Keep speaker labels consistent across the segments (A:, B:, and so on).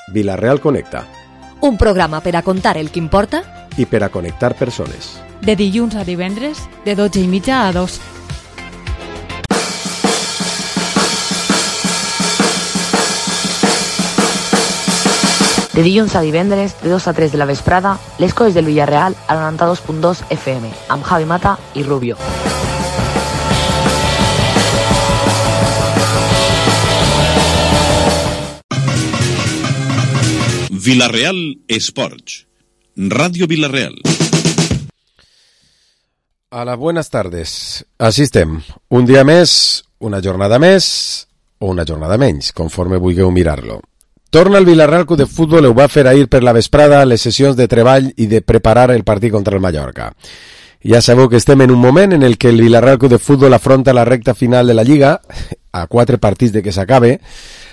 A: Vila-real Connecta.
B: Un programa per a contar el que importa
A: i per a connectar persones.
C: De dilluns a divendres, de 12:30 a 2.
D: De dilluns a divendres, de 2 a 3 de la vesprada, les coses del Villarreal a 92.2 FM, amb Javi Mata i Rubio.
E: Vila-real Esports. Radio Vila-real.
A: Hola, buenas tardes. Així estem. Un dia més, una jornada més o una jornada menys, conforme vulgueu mirar-lo. Torna el Vila-real Club de Futbol, ho va fer ahir per la vesprada les sessions de treball i de preparar el partit contra el Mallorca. Ja sabeu que estem en un moment en el que el Vila-real Club de Futbol afronta la recta final de la Lliga, a 4 partits de que s'acabe,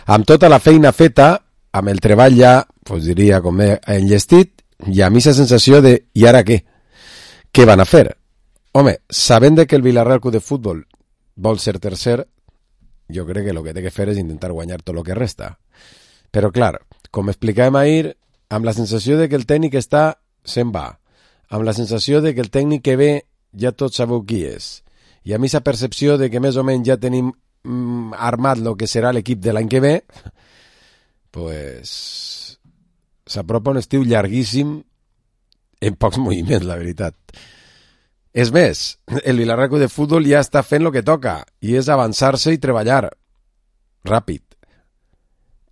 A: amb tota la feina feta, amb el treball ja, diria, com he enllestit, i a mi la sensació de, i ara què? Què van a fer? Home, sabent que el Vila-real Club de Futbol vol ser tercer, jo crec que el que té que fer és intentar guanyar tot el que resta. Però clar, com explicàvem ahir, amb la sensació de que el tècnic se'n va, amb la sensació de que el tècnic que ve ja tots sabeu qui és, i a mi la percepció de que més o menys ja tenim armat el que serà l'equip de l'any que ve, pues s'apropa un estiu llarguíssim en pocs moviments, la veritat. És més, el Vila-real Club de Futbol ja està fent el que toca, i és avançar-se i treballar ràpid.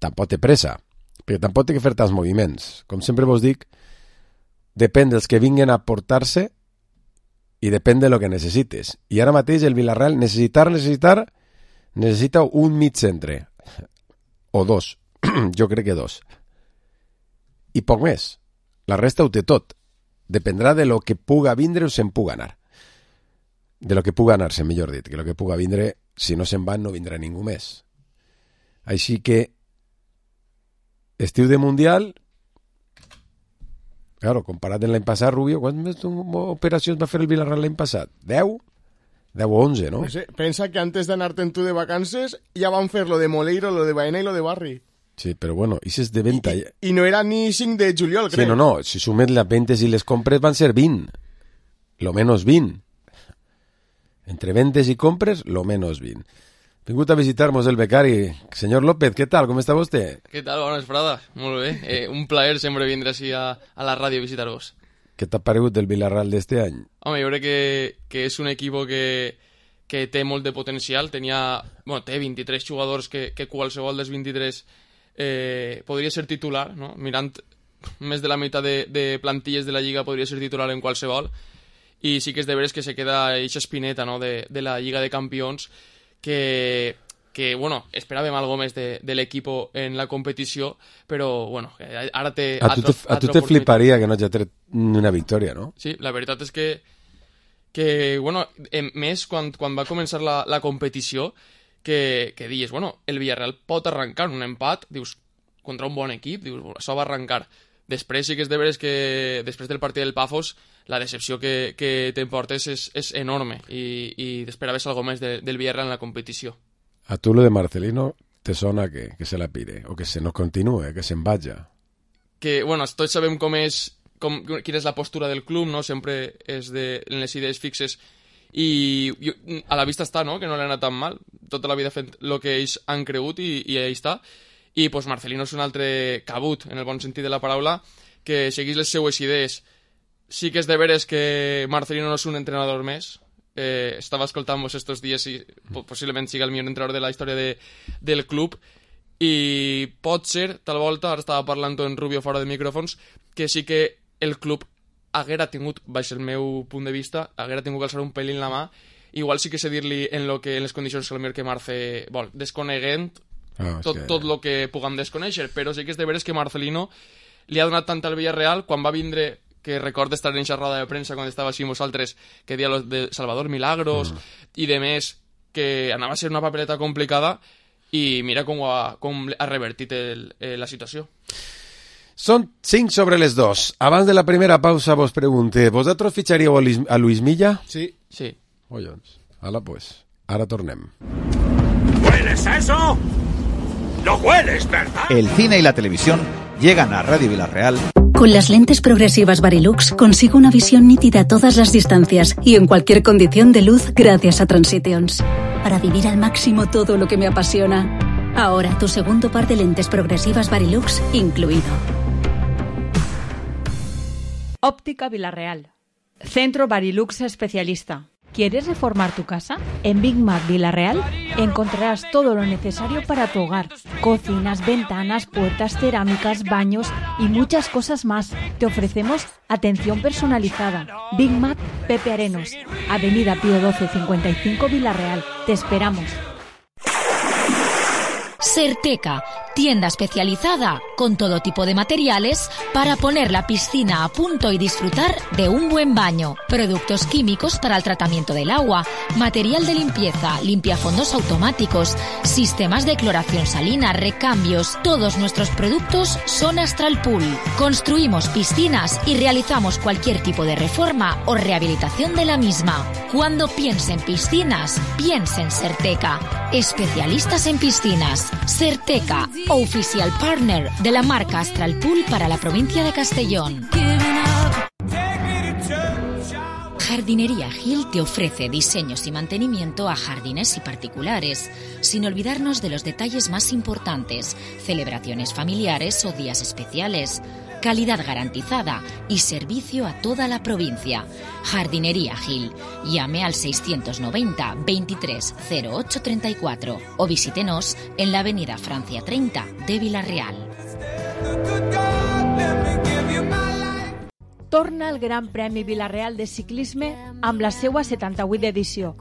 A: Tampoc té pressa, perquè tampoc té que fer tants moviments. Com sempre vos dic, depèn dels que vinguen a portar-se i depèn de lo que necessites. I ara mateix el Vila-real necessita un mig centre, o dos. Jo crec que 2. I poc més. La resta ho té tot. Dependrà de lo que puga vindre o se'n puga anar. De lo que puga anar-se, millor dit. Que lo que puga vindre, si no se'n van, no vindrà ningú més. Així que estiu de Mundial, claro, comparat amb l'any passat, Rubio, quantes operacions va fer el Vila-real l'any passat? 10? 10 o 11, no?
F: Pensa que antes d'anar-te'n tu de vacances ja van fer lo de Moleiro, lo de Baena i lo de Barri.
A: Sí, però bueno, això és de venda.
F: I no era ni 5 de juliol, crec.
A: Sí, no, si sumes les ventes i les compres van ser 20. Lo menos 20. Entre ventes i compres, lo menos 20. Vingut a visitar-nos el becari. Senyor López, què tal? Com està vostè?
G: Què tal? Bona vesprada. Molt bé. Un plaer sempre vindre així a la ràdio a visitar-vos.
A: Què t'ha paregut del Vila-real d'este any?
G: Home, jo crec que és un equip que té molt de potencial. Té 23 jugadors que qualsevol dels 23 podria ser titular, no? Mirant més de la meitat de plantilles de la Lliga podria ser titular en qualsevol, i sí que és de veres que se queda eixa espineta, no? de la Lliga de Campions que bueno, esperàvem algo més de l'equip en la competició, però bueno, ara té
A: a tu te fliparia que no hagi tret una victòria, no?
G: Sí, la veritat és que bueno, més quan va començar la competició, que dius, bueno, el Villarreal pot arrencar un empat, dius, contra un bon equip, dius, això va arrencar. Després sí que és de veres que després del partit del Pafos la decepció que t'emportes és enorme i t'esperaves algo més del Villarreal en la competició.
A: A tu lo de Marcelino te sona que se la pire o que se no continue, que se'n vaja?
G: Que, bueno, tots sabem quina és la postura del club, no? Sempre és en les idees fixes, i a la vista està, no?, que no l'ha anat tan mal, tota la vida fent el que ells han cregut i ahí està. I pues Marcelino és un altre cabut, en el bon sentit de la paraula, que seguís les seues idees. Sí que és de veres que Marcelino no és un entrenador més. Estava escoltant-vos estos dies i possiblement siga el millor entrenador de la història del club, i pot ser, tal volta, ara estava parlant en Rubio fora de micròfons, que sí que el club haguera tingut, baix el meu punt de vista, haguera tingut que alçar un pelín la mà. Igual sí que sé dir-li en les condicions que Marce vol, desconeguent tot el que puguem desconèixer, però sí que és de veres que Marcelino li ha donat tant al Villarreal. Quan va vindre, que recorda estar en aquesta roda de premsa quan estava així amb vosaltres, que dia de Salvador Milagros i de més, que anava a ser una papeleta complicada, i mira com ha revertit la situació.
A: Són 5 sobre les 2. Abans de la primera pausa vos pregunte, ¿vosotros ficharíeu a Luis Milla?
F: Sí.
G: Sí.
A: Collons. Ala, pues. Ara tornem.
H: ¿Hueles eso? No hueles, ¿verdad?
I: El cine y la televisión llegan a Radio Villarreal.
J: Con las lentes progresivas Varilux consigo una visión nítida a todas las distancias y en cualquier condición de luz gracias a Transitions. Para vivir al máximo todo lo que me apasiona. Ahora tu segundo par de lentes progresivas Varilux incluido.
C: Óptica Villarreal. Centro Varilux especialista. ¿Quieres reformar tu casa? En Big Mac Villarreal encontrarás todo lo necesario para tu hogar. Cocinas, ventanas, puertas, cerámicas, baños y muchas cosas más. Te ofrecemos atención personalizada. Big Mac Pepe Arenos, Avenida Pío 12 55 Villarreal. Te esperamos.
B: Serteca, tienda especializada con todo tipo de materiales para poner la piscina a punto y disfrutar de un buen baño. Productos químicos para el tratamiento del agua, material de limpieza, limpiafondos automáticos, sistemas de cloración salina, recambios. Todos nuestros productos son Astral Pool. Construimos piscinas y realizamos cualquier tipo de reforma o rehabilitación de la misma. Cuando piense en piscinas, piense en Serteca. Especialistas en piscinas. Serteca, oficial partner de la marca Astral Pool para la provincia de Castellón. Jardinería Gil te ofrece diseños y mantenimiento a jardines y particulares, sin olvidarnos de los detalles más importantes, celebraciones familiares o días especiales. Calidad garantizada y servicio a toda la provincia. Jardinería Gil. Llame al 690 23 08 34 o visítenos en la avenida Francia 30 de Villarreal.
C: Torna el Gran Premi Villarreal de Ciclisme amb la seua 78 edició.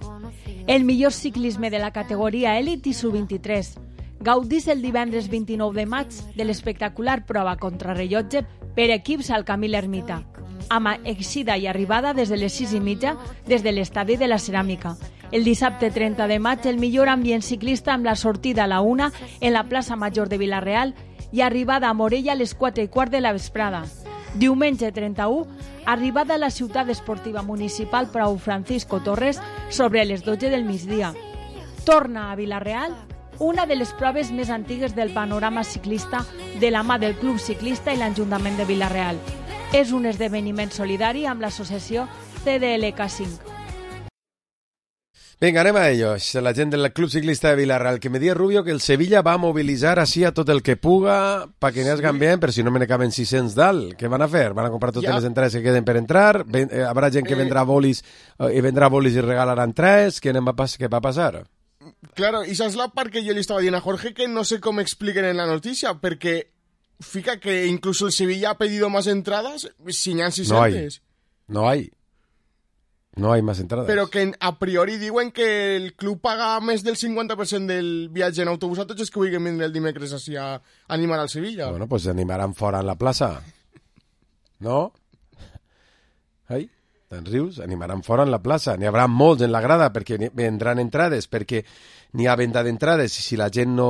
C: El millor ciclisme de la categoria Elite i Sub-23. Gaudís el divendres 29 de maig de l'espectacular prova contrarrellotge per equips al Camí l'Ermita, amb eixida i arribada des de les 6:30 des de l'estadi de la Ceràmica. El dissabte 30 de maig el millor ambient ciclista amb la sortida a la 1 en la plaça Major de Villarreal i arribada a Morella a les 4:15 de la vesprada. Diumenge 31, arribada a la ciutat esportiva municipal Prou Francisco Torres sobre les 12 del migdia. Torna a Villarreal una de les proves més antigues del panorama ciclista de la mà del Club Ciclista i l'Ajuntament de Villarreal. És un esdeveniment solidari amb l'associació CDLK5.
A: Venga, anem a ellos. La gent del Club Ciclista de Villarreal, que me diga Rubio que el Sevilla va a movilizar así a tot el que puga para que n'esgan bien, però si no me ne caben 600 dalt. Què van a fer? Van a comprar totes les entrades que queden per entrar? Habrà gent que vendrà bolis i regalarà entrades? Què va a passar?
F: Claro, i saps la part que jo li estava dient a Jorge que no sé com expliquen en la notícia, perquè fica que incluso el Sevilla ha pedido más entradas si n'hi ha 600.
A: No hay más entradas.
F: Però que a priori diuen que el club paga més del 50% del viatge en autobús a tots els que vulguin vindre el dimecres així a animar al Sevilla.
A: Bueno, pues animaran fora en la plaça. No? Ai? Te'n rius? Animaran fora en la plaça. N'hi haurà molts en la grada perquè vendran entrades, perquè n'hi ha venda d'entrades i si la gent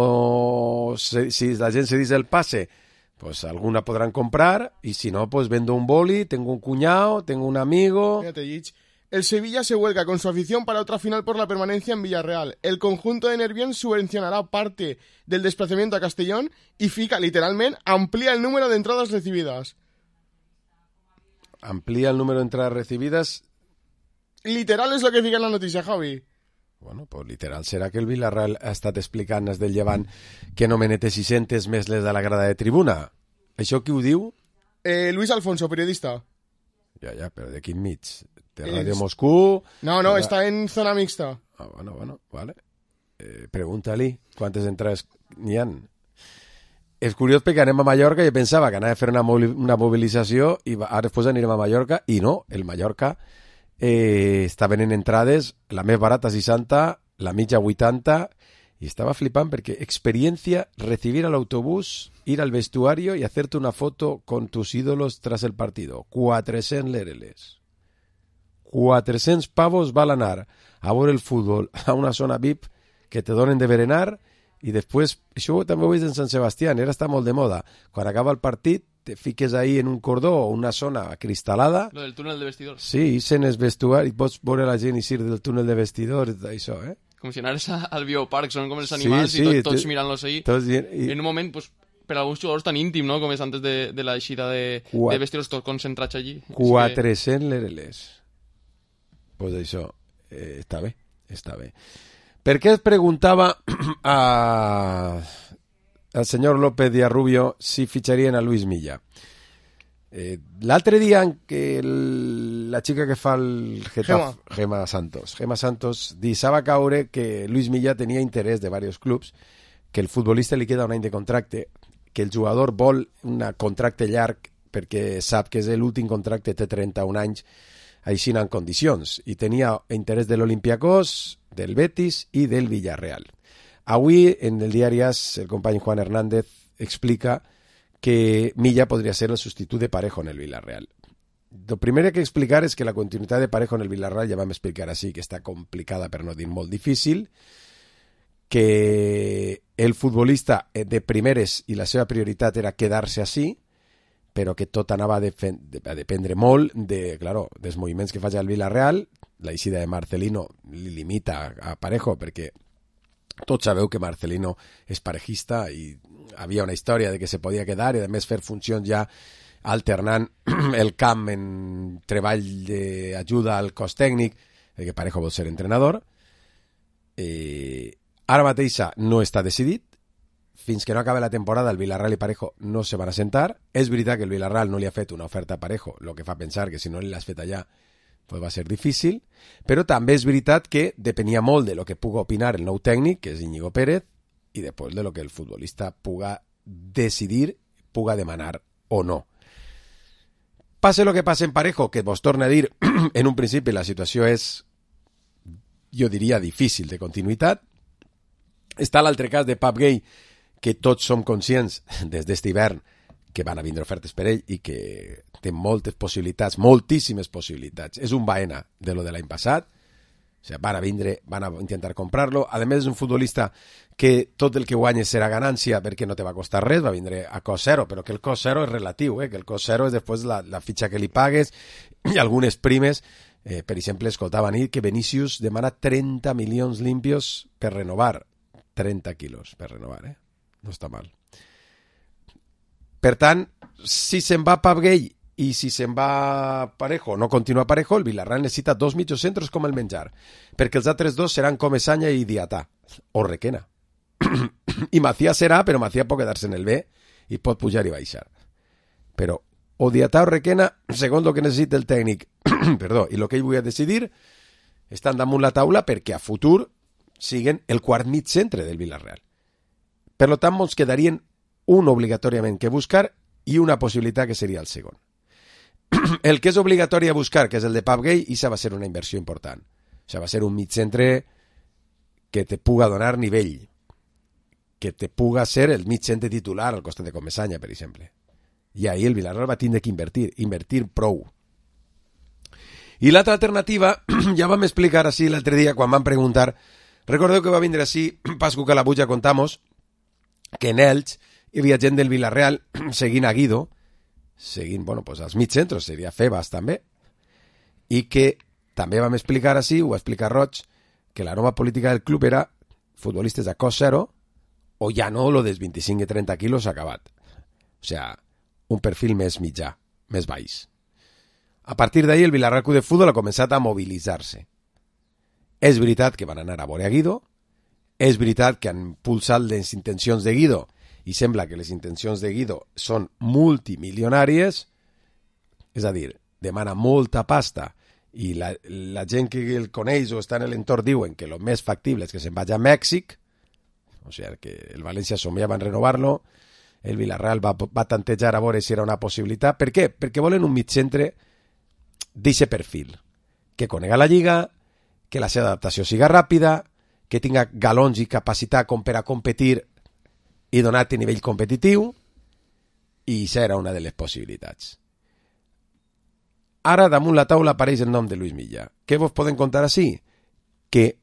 A: se dice el pase, pues alguna podran comprar y si no, pues vendo un boli, tengo un cuñado, tengo un amigo.
F: Fíjate, Gich. El Sevilla se vuelca con su afición para otra final por la permanencia en Villarreal. El conjunto de Nervión subvencionará parte del desplazamiento a Castellón y fica, literalmente, amplía el número de entradas recibidas.
A: Amplía el número de entradas recibidas.
F: Literal és el que fica en la notícia, Javi.
A: Bueno, pues literal serà que el Villarreal ha estat explicant des del Llevant que no me nete 600 més les de la grada de tribuna. Això qui ho diu?
F: Luis Alfonso, periodista.
A: Ja, però de quin mig? De Radio Moscú?
F: No, està en zona mixta.
A: Ah, bueno, vale. Pregunta-li quantes entrades n'hi ha. És curiós perquè anem a Mallorca i jo pensava que anava a fer una mobilització i ara després anirem a Mallorca i no, el Mallorca està venent entrades, la més barata 60, la mitja 80 i estava flipant perquè experiencia, recibir al autobús, ir al vestuario y hacerte una foto con tus ídolos tras el partido. 400 lereles. 400 pavos val anar a veure el futbol a una zona VIP que te donen de berenar i després, això també ho veig en Sant Sebastià, ara està molt de moda, quan acaba el partit te fiques ahí en un cordó o una zona acristalada.
G: Lo del túnel de vestidors.
A: Sí, ixen els vestuaris, pots veure la gent eixir del túnel de vestidors, això,
G: com si anares al bioparc, són com els animals i tots mirant-los ahí. En un moment, pues, per alguns jugadors tan íntim, no?, com és antes de la eixida de vestir-los tots concentrats allí.
A: 400 lereles. Pues això, està bé. Per què es preguntava al senyor López Díaz Rubio si fitxarien a Luis Milla? L'altre dia en què la xica que fa el Getafe, Gemma Santos deixava caure que Luis Milla tenia interès de diversos clubs, que el futbolista li queda un any de contracte, que el jugador vol un contracte llarg perquè sap que és l'últim contracte, té 31 anys, així en condicions, i tenia interès de l'Olympiacos, del Betis i del Villarreal. Avui, en el diari AS, el company Juan Hernández explica que Milla podria ser el substitut de Parejo en el Villarreal. Lo primer que explicar és que la continuïtat de Parejo en el Villarreal, ja vam explicar així, que està complicada per no dir molt difícil, que el futbolista de primeres i la seva prioritat era quedar-se així, però que tot anava a dependre molt dels moviments que faci el Villarreal. La eixida de Marcelino li limita a Parejo, perquè tots sabeu que Marcelino és parejista i havia una història de que se podia quedar i a més fer funcions ja alternant el camp en treball d'ajuda al cos tècnic, que Parejo vol ser entrenador. Ara mateixa no està decidit. Fins que no acabe la temporada, el Villarreal i Parejo no se van a sentar. És veritat que el Villarreal no li ha fet una oferta a Parejo, el que fa pensar que si no li l'has fet allà pues va ser difícil, però també és veritat que depenia molt de lo que puga opinar el nou tècnic, que és Íñigo Pérez, i després de lo que el futbolista puga decidir, puga demanar o no. Passe lo que passe en Parejo, que vos torna a dir, en un principi la situació és, jo diria, difícil de continuïtat. Està l'altre cas de Pep Gay, que tots som conscients des d'este hivern que van a vindre ofertes per ell i que té moltes possibilitats, moltíssimes possibilitats. És un Baena de lo de l'any passat. O sigui, van a intentar comprar-lo. A més, és un futbolista que tot el que guanya serà ganància perquè no te va costar res, va vindre a cost zero, però que el cost zero és relatiu, que el cost zero és després la fitxa que li pagues i algunes primes. Per exemple, escoltava ahir que Vinícius demana 30 milions limpios per renovar. 30 quilos per renovar, no està mal. Per tant, si se'n va Pep Gay i si se'n va Parejo, no continua Parejo, el Villarreal necessita 2 mitjocentros com el menjar, perquè els altres dos seran Comesaña i Diatà, o Requena. I Macià serà, però Macià pot quedar-se en el B i pot pujar i baixar. Però o Diatà o Requena, segons el que necessita el tècnic, perdó, i el que ell vull decidir, estan damunt la taula perquè a futur siguen el quart mig centre del Villarreal. Per tant, ens quedarien un obligatòriament que buscar i una possibilitat que seria el segon. El que és obligatori a buscar, que és el de Pep Gay, això va ser una inversió important. Això va ser un mig centre que te puga donar nivell, que te puga ser el mig centre titular al costat de Comesaña, per exemple. I ahir el Villarreal va tindre que invertir prou. I l'altra alternativa, ja vam explicar així l'altre dia quan vam preguntar, recordeu que va vindre així Pascu Calabuja contamos que en Elx hi havia gent del Villarreal seguint a Guido, seguint, pues als mig centros, seria Febas també, i que també vam explicar així, ho va explicar Roig, que la nova política del club era futbolistes a cost zero o ja no lo dels 25 i 30 quilos acabat. O sigui, un perfil més mitjà, més baix. A partir d'ahir el Villarreal Club de Futbol ha començat a mobilitzar-se. És veritat que van anar a veure a Guido, és veritat que han impulsat les intencions de Guido i sembla que les intencions de Guido són multimilionàries, és a dir, demana molta pasta i la gent que el coneix o està en l'entorn diuen que el més factible és que se'n vagi a Mèxic, o sigui que el València somiava en renovar-lo, el Villarreal va tantejar a veure si era una possibilitat. Per què? Perquè volen un mig centre d'aquest perfil, que conega la Lliga, que la seva adaptació siga ràpida, que tinga galons i capacitat com per a competir i donar-te nivell competitiu, i això era una de les possibilitats. Ara, damunt la taula apareix el nom de Luis Milla. Què vos poden contar així? Que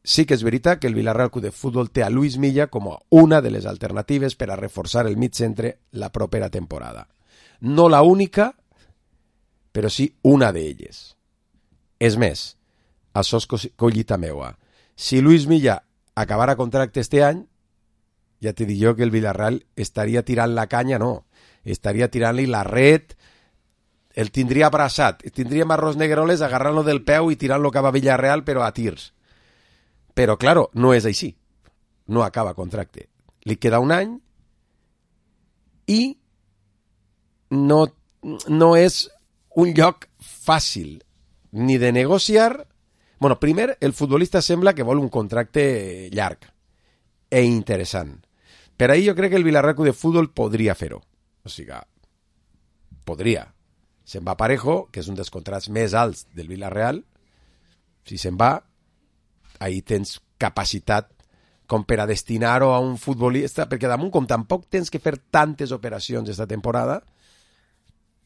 A: sí que és veritat que el Villarreal Club de Futbol té a Luis Milla com a una de les alternatives per a reforçar el mig centre la propera temporada. No la única, però sí una d'elles. És més, això és collita meua. Si Luis Milla acabara contracte este any, ja t'he dit jo que el Villarreal estaria tirant la canya, no, estaria tirant-li la red, el tindria abraçat, tindríem arroz negroles agarrant-lo del peu i tirant-lo cap a Villarreal, però a tirs. Però, claro, no és així. No acaba contracte. Li queda un any i no és un lloc fàcil ni de negociar. Bueno, primer, el futbolista sembla que vol un contracte llarg e interessant. Per ahí jo crec que el Villarreal de Futbol podria fer-ho. O sigui, podria. Se'n va Parejo, que és un dels contrats més alts del Villarreal. Si se'n va, ahí tens capacitat com per a destinar-ho a un futbolista, perquè damunt, com tampoc tens que fer tantes operacions esta temporada,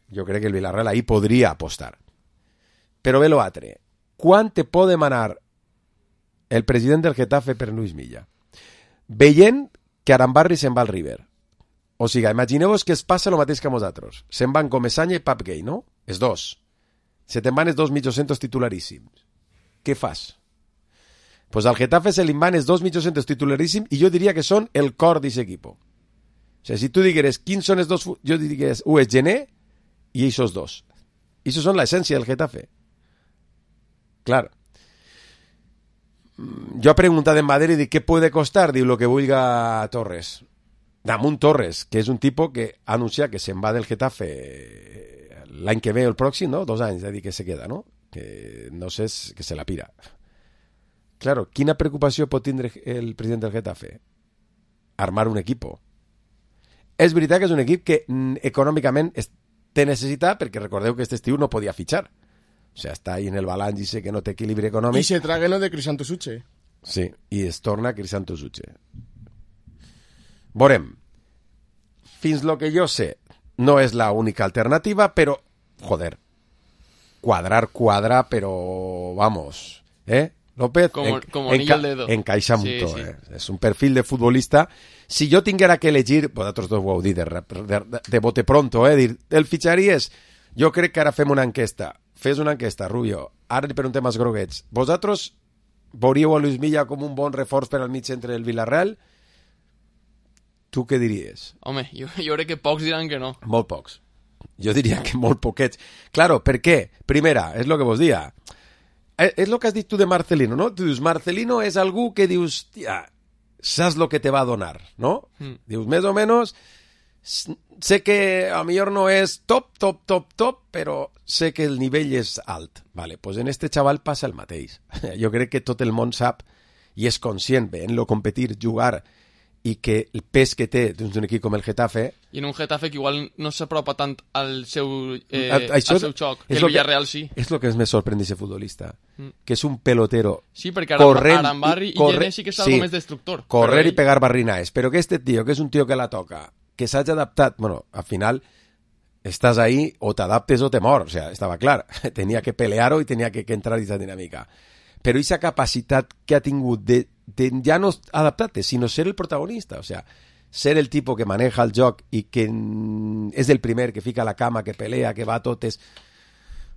A: jo crec que el Villarreal ahí podria apostar. Però ve l'altre. Quan te pot demanar el president del Getafe per Luis Milla? Veient que Arambarri se'n va al River. O sigui, imagineu-vos que es passa el mateix que a nosaltres. Se'n van Comesaña i Pap Gay, no? Els dos. Se te'n van els dos mitjocentros titularíssims. Què fas? Pues al Getafe se li van els dos mitjocentros titularíssims i jo diria que són el cor d'aquest equip. O sigui, si tu digueres quins són els dos, jo diria que un és Gené i aquests dos. I això són l'essència del Getafe. Clar. Jo he preguntat en Madrid i dic, què puede costar? Diu, lo que vulga Torres. Damunt Torres, que és un tipus que ha anunciat que se'n va del Getafe l'any que ve o el pròxim, no? 2 anys, és a dir, que se queda, no? Que no sé, que se la pira. Claro, quina preocupació pot tindre el president del Getafe? Armar un equip. És veritat que és un equip que econòmicament té necessitat, perquè recordeu que aquest estiu no podia fitxar. O sigui, està ahí en el balanç i sé que no té equilibri econòmic.
F: I se trague lo de Crisanto Suche.
A: Sí, i es torna Crisanto Suche. Veurem. Fins lo que jo sé, no és la única alternativa, però, joder, quadrar, però, vamos, López,
G: como anillo al dedo.
A: Encaixa
G: Sí,
A: mucho,
G: sí.
A: És un perfil de futbolista. Si jo tinguera que elegir, vosaltres dos ho heu dit de bote pronto, dir, el fitxaries, jo crec que ara fem una enquesta. Fes una enquesta, Rubio. Ara li preguntem als groguets. Vosaltres veuríeu a Luis Milla com un bon reforç per al mig centre del Villarreal? Tu què diries?
G: Home, jo crec que pocs diran que no.
A: Molt pocs. Jo diria que molt poquets. Claro, per què? Primera, és el que vos dia. És el que has dit tu de Marcelino, no? Tu dius, Marcelino és algú que dius, tia, saps lo que te va a donar, no? Dius, més o menys, sé que a millor no és top, però sé que el nivell és alt. Vale, pues en este xaval passa el mateix. Jo crec que tot el món sap i és conscient veient-lo competir, jugar, i que el pes que té d'un equip com el Getafe...
G: I en un Getafe que igual no s'apropa tant al seu xoc, que el Villarreal sí.
A: És el que més sorprèn d'aquest futbolista, que és un pelotero.
G: Sí, perquè
A: Arambarri
G: i Gené sí que és algo més destructor.
A: Correr i pegar barrinaes, però que este tío, que és un tío que la toca, que s'hagi adaptat, bueno, al final estàs ahí o t'adaptes o te mor, o sea, estava clar, tenia que pelear-ho i tenia que entrar en aquesta dinàmica. Però aquesta capacitat que ha tingut de ja no adaptar-te, sinó ser el protagonista, o sea, ser el tipus que maneja el joc i que és el primer que fica la cama, que pelea, que va a totes,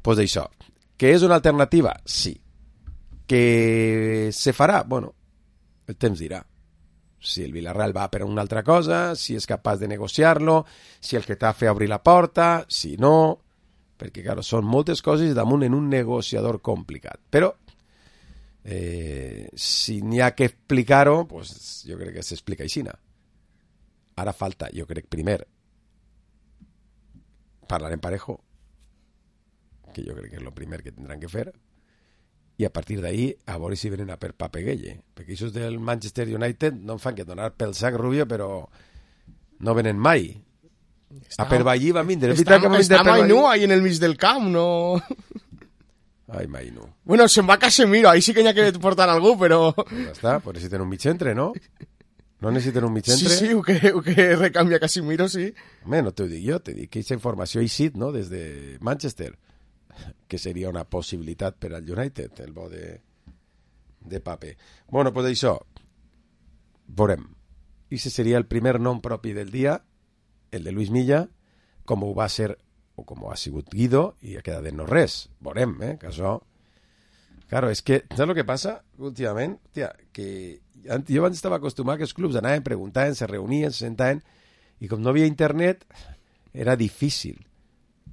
A: pues d'això. Que és una alternativa? Sí. Que se farà? Bueno, el temps dirà. Si el Villarreal va per una altra cosa, si és capaç de negociar-lo, si el Getafe obri la porta, si no, perquè, claro, són moltes coses damunt en un negociador complicat. Però si n'hi ha que explicar-ho, pues jo crec que s'explica així. Ara falta, jo crec, primer parlar en Parejo, que jo crec que és el primer que tindran que fer, i a partir d'ahí a veure si venen a per Pape Gueye, perquè això del Manchester United no em fan que donar pel sac, Rubio, però no venen mai. A per Vallí va vindre.
F: Està Mainú ahí en el mig del camp, no...
A: Ai, Mainú.
F: Bueno, se'n va Casemiro, ahí sí que n'hi ha que portar algú, però...
A: Ja està, pues necessiten un mig centre, no? No necessiten un mig centre?
F: Sí, ho que recanvia Casemiro, sí.
A: Home, no t'ho dic jo, te dic que aquesta informació ha eixit, no?, des de Manchester, que seria una possibilitat per al United, el bo de Pape. Bueno, pues això, veurem. I ese seria el primer nom propi del dia, el de Luis Milla, com ho va ser o com ha sigut Guido, i ha quedat de no res. Veurem, que això Claro, és que, saps el que passa últimament? Hòstia, que jo abans estava acostumat que els clubs anaven, preguntaven, se reunien, se sentaven, i com no havia internet, era difícil.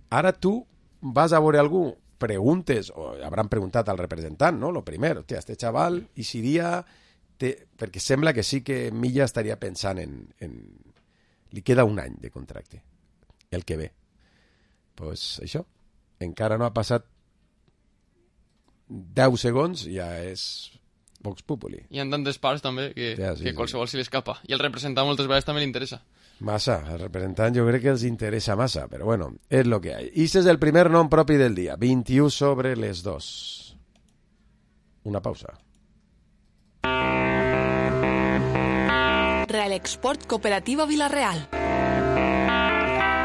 A: Ara tu vas a veure algú, preguntes, o hauran preguntat al representant, no? Lo primer, hòstia, este xaval, i seria... Perquè sembla que sí que Milla estaria pensant en... Li queda un any de contracte, el que ve. Pues això, encara no ha passat 10 segons, ja és Vox Populi.
G: Hi ha tantes parts també que qualsevol se li escapa. I el representant moltes vegades també li interessa.
A: Massa, el representant jo crec que els interessa massa, però bueno, és lo que hay. I este és el primer nom propi del dia, 21 sobre les 2. Una pausa.
H: Real Export Cooperativa Villarreal.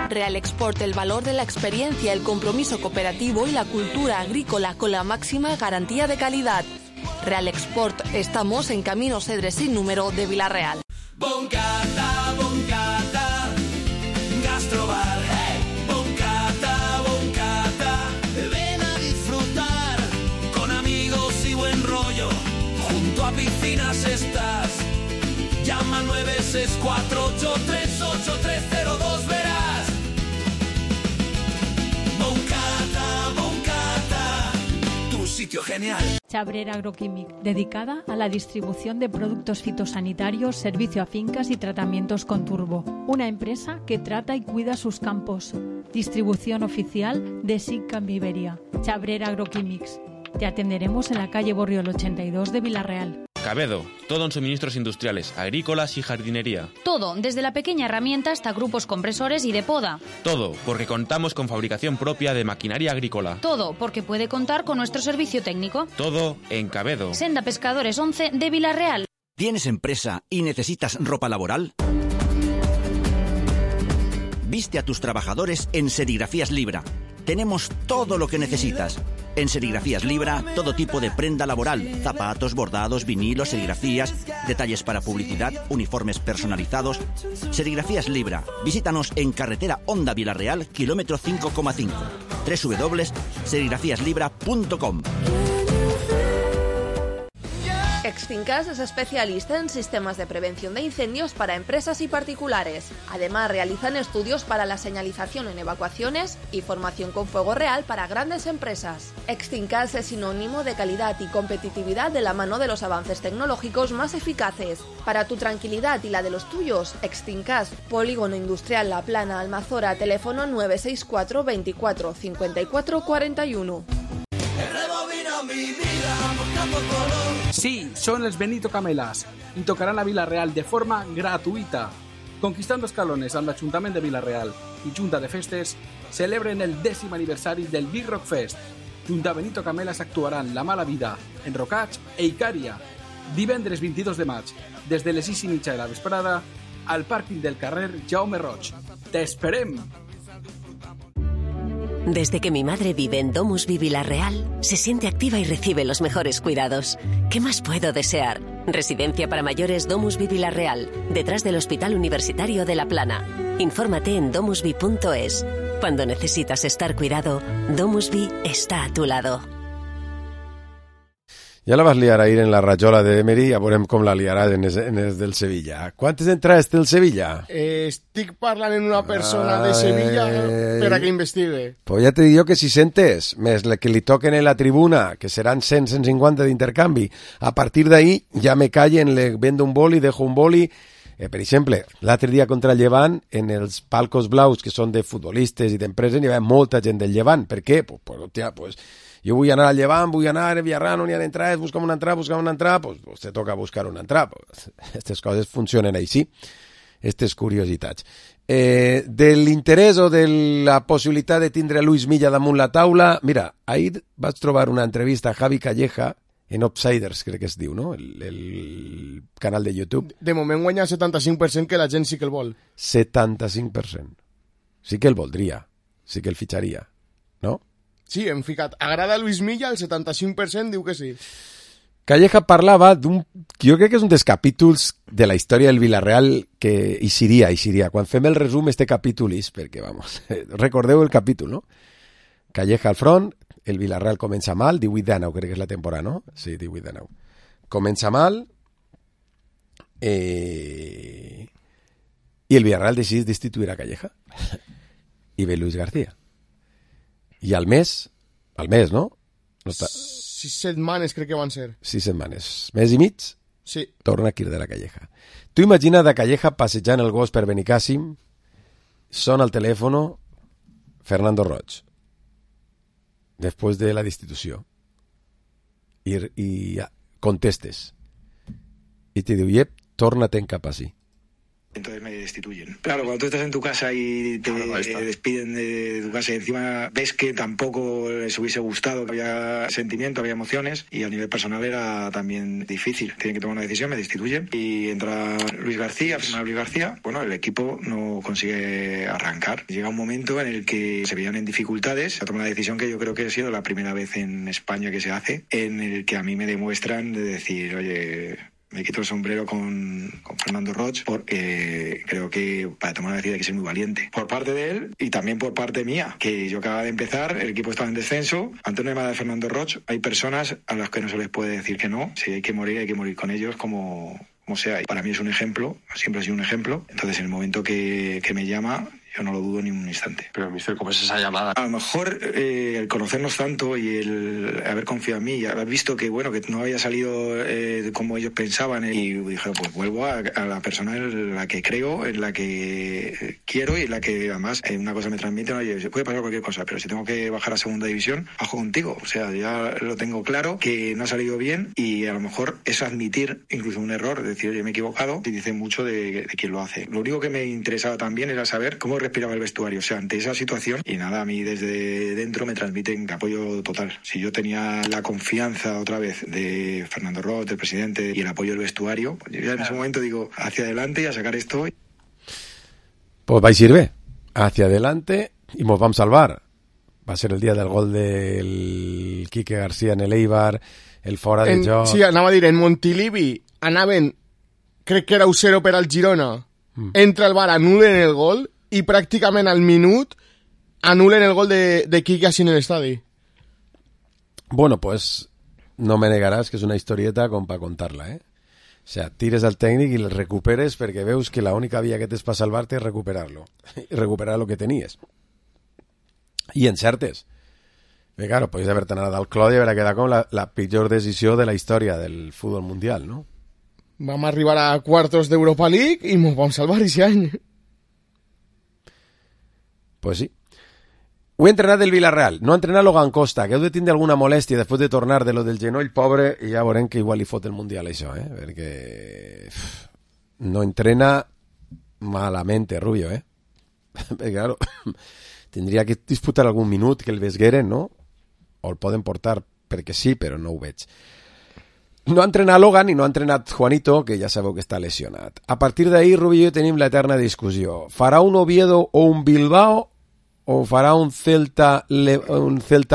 H: Real Export, el valor de la experiencia, el compromiso cooperativo y la cultura agrícola con la máxima garantía de calidad. Real Export, estamos en Camino Cedres sin número de Villarreal.
K: Boncata, boncata, gastrobar. Boncata, boncata, ven a disfrutar con amigos y buen rollo. Junto a piscinas estás. Llama al 964838302, verás. Boncata, tu sitio genial.
C: Chabrera Agroquímic, dedicada a la distribución de productos fitosanitarios, servicio a fincas y tratamientos con turbo. Una empresa que trata y cuida sus campos. Distribución oficial de SICAM Iberia. Chabrera Agroquímics. Te atenderemos en la calle Borriol 82 de Villarreal.
L: Cabedo, todo en suministros industriales, agrícolas y jardinería.
M: Todo, desde la pequeña herramienta hasta grupos compresores y de poda.
L: Todo, porque contamos con fabricación propia de maquinaria agrícola.
M: Todo, porque puede contar con nuestro servicio técnico.
L: Todo en Cabedo.
M: Senda Pescadores 11 de Villarreal.
N: ¿Tienes empresa y necesitas ropa laboral? Viste a tus trabajadores en Serigrafías Libra. Tenemos todo lo que necesitas. En Serigrafías Libra, todo tipo de prenda laboral, zapatos, bordados, vinilos, serigrafías, detalles para publicidad, uniformes personalizados. Serigrafías Libra. Visítanos en carretera Honda Villarreal, kilómetro 5,5. www.serigrafíaslibra.com.
H: Exfincas es especialista en sistemas de prevención de incendios para empresas y particulares. Además, realizan estudios para la señalización en evacuaciones y formación con fuego real para grandes empresas. Exfincas es sinónimo de calidad y competitividad de la mano de los avances tecnológicos más eficaces. Para tu tranquilidad y la de los tuyos, Exfincas, Polígono Industrial La Plana, Almazora, teléfono 964 24 54 41.
O: Sí, son els Benito Camelas i tocaran a Villarreal de forma gratuïta. Conquistando escalones amb l'Ajuntament de Villarreal i Junta de Festes celebren el 10è aniversari del Big Rock Fest. Junt a Benito Camelas actuaran La Mala Vida, Enrocats e Icària. Divendres 22 de maig, des de les 6:30 de la vesprada, al pàrquing del carrer Jaume Roig. ¡T'esperem!
P: Desde que mi madre vive en DomusVi Villarreal, se siente activa y recibe los mejores cuidados. ¿Qué más puedo desear? Residencia para mayores DomusVi Villarreal, detrás del Hospital Universitario de La Plana. Infórmate en domusvi.es. Cuando necesitas estar cuidado, DomusVi está a tu lado.
A: Ja la vas liar ahir en la rajola d'Emery, ja veurem com la liarà en els del Sevilla. Quantes entrades té el Sevilla?
F: Estic parlant amb una persona de Sevilla per a que investigue.
A: Pues ja te dic jo que 600, més la que li toquen en la tribuna, que seran 100-150 d'intercanvi. A partir d'ahí ja me callen, le vendo un boli, dejo un boli. Per exemple, l'altre dia contra el Llevant, en els palcos blaus, que són de futbolistes i d'empreses, hi havia molta gent del Llevant. Per què? Pues jo vull anar al Llevant, vull anar a Villarreal, no n'hi ha entrades, busca'm una entrada, pues te toca buscar una entrada. Aquestes coses funcionen així, aquestes curiositats. De l'interès o de la possibilitat de tindre Luis Milla damunt la taula, mira, ahir vaig trobar una entrevista a Javi Calleja, en Upsiders, crec que es diu, no? El canal de YouTube.
F: De moment guanya el 75%, que la gent sí que el vol.
A: 75%. Sí que el voldria, sí que el fitxaria, no?
F: Sí, hem ficat. Agrada Luis Milla, el 75% diu que sí.
A: Calleja parlava d'un... Jo crec que és un dels capítols de la història del Villarreal que hi seria. Quan fem el resum, este capítol és perquè, vamos, recordeu el capítol, no? Calleja al front, El Villarreal comença mal, 18-19, crec que és la temporada, no? Sí, 18-19. Comença mal i el Villarreal decideix destituir a Calleja i ve Luis García. I al mes, no? No
F: 6 setmanes crec que van ser.
A: 6 setmanes. Mes i mig?
F: Sí.
A: Torna a cridar a Calleja. Tu imagina de Calleja passejant el gos per Benicàssim, sona el telèfon Fernando Roig, després de la destitució, i contestes, i te diu, yep, torna-te'n cap ací.
Q: Entonces me destituyen. Claro, cuando tú estás en tu casa y te despiden de tu casa y encima ves que tampoco les hubiese gustado, que había sentimiento, había emociones y a nivel personal era también difícil. Tienen que tomar una decisión, me destituyen y entra Luis García, bueno, el equipo no consigue arrancar. Llega un momento en el que se veían en dificultades, se toma una decisión que yo creo que ha sido la primera vez en España que se hace, en el que a mí me demuestran de decir, oye, me quito el sombrero con Fernando Roig porque creo que para tomar una decisión hay que ser muy valiente. Por parte de él y también por parte mía, que yo acababa de empezar, el equipo estaba en descenso. Ante una llamada de Fernando Roig hay personas a las que no se les puede decir que no. Si hay que morir con ellos como sea. Y para mí es un ejemplo, siempre ha sido un ejemplo. Entonces en el momento que me llama, yo no lo dudo ni un instante.
R: Pero, mister, ¿cómo es esa llamada?
Q: A lo mejor el conocernos tanto y el haber confiado en mí y haber visto que, bueno, que no había salido como ellos pensaban, y dije, pues vuelvo a la persona en la que creo, en la que quiero y en la que además una cosa me transmite, oye, puede pasar cualquier cosa, pero si tengo que bajar a segunda división, bajo contigo. O sea, ya lo tengo claro, que no ha salido bien, y a lo mejor es admitir incluso un error, decir, oye, me he equivocado, y dice mucho de quien lo hace. Lo único que me interesaba también era saber cómo respiraba el vestuario, o sea, ante esa situación, y nada, a mí desde dentro me transmiten apoyo total. Si yo tenía la confianza otra vez de Fernando Roig, del presidente, y el apoyo del vestuario, pues yo ya en ese momento digo, hacia adelante y a sacar esto.
A: Pues vais a ir bé, hacia adelante, y nos vamos a salvar. Va a ser el día del gol del Quique García en el Eibar, el fora de joc.
F: Sí, anava a dir, en Montilivi anaven, crec que era 1-0 per al Girona, entra el VAR, anulen el gol, i pràcticament al minut anulen el gol de Quique así en el estadi.
A: Bueno, pues no me negaràs que és una historieta com per contar-la, O sea, tires al tècnic i el recuperes perquè veus que la única via que tens per salvar-te és recuperar-lo. I recuperar lo que tenies. I encertes. Perquè, claro, podries haver-te anat al clot i haver quedat com la pitjor decisió de la història del futbol mundial, no?
F: Vam arribar a quartos d'Europa League i ens vam salvar aquest any.
A: Pues sí. Ho he entrenat del Villarreal, no ha entrenat Logan Costa, que heu de tindre alguna molèstia després de tornar de lo del genoll pobre, i ja veurem que igual li fot el Mundial això, perquè no entrena malamente Rubio, perquè claro, tindria que disputar algun minut que el vesgueren, no? O el poden portar perquè sí, però no ho veig. No ha entrenat Logan i no ha entrenat Juanito, que ja sabeu que està lesionat. A partir d'ahir, Rubio i jo tenim l'eterna discussió. Farà un Oviedo o un Bilbao o farà un Celta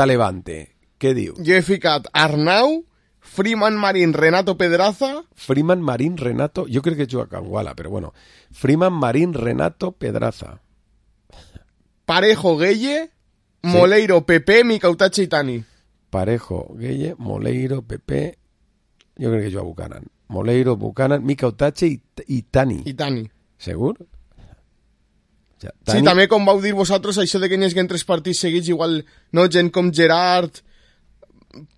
A: Levante? Què diu?
F: Jo he ficat Arnau, Freeman Marín, Renato Pedraza...
A: Freeman Marín, Renato... Jo crec que juga a Canguala, però bueno. Freeman Marín, Renato Pedraza.
F: Parejo, Gueye, Moleiro, Pepe, Micautache i Tani.
A: Parejo, Gueye, Moleiro, Pepe... Jo crec que juga a Buchanan. Moleiro, Buchanan, Micautache i Tani.
F: I Tani.
A: Segur?
F: O sea, Tani... Sí, també com vau dir vosaltres, això de que n'hi hagin 3 partits seguits, igual no gent com Gerard,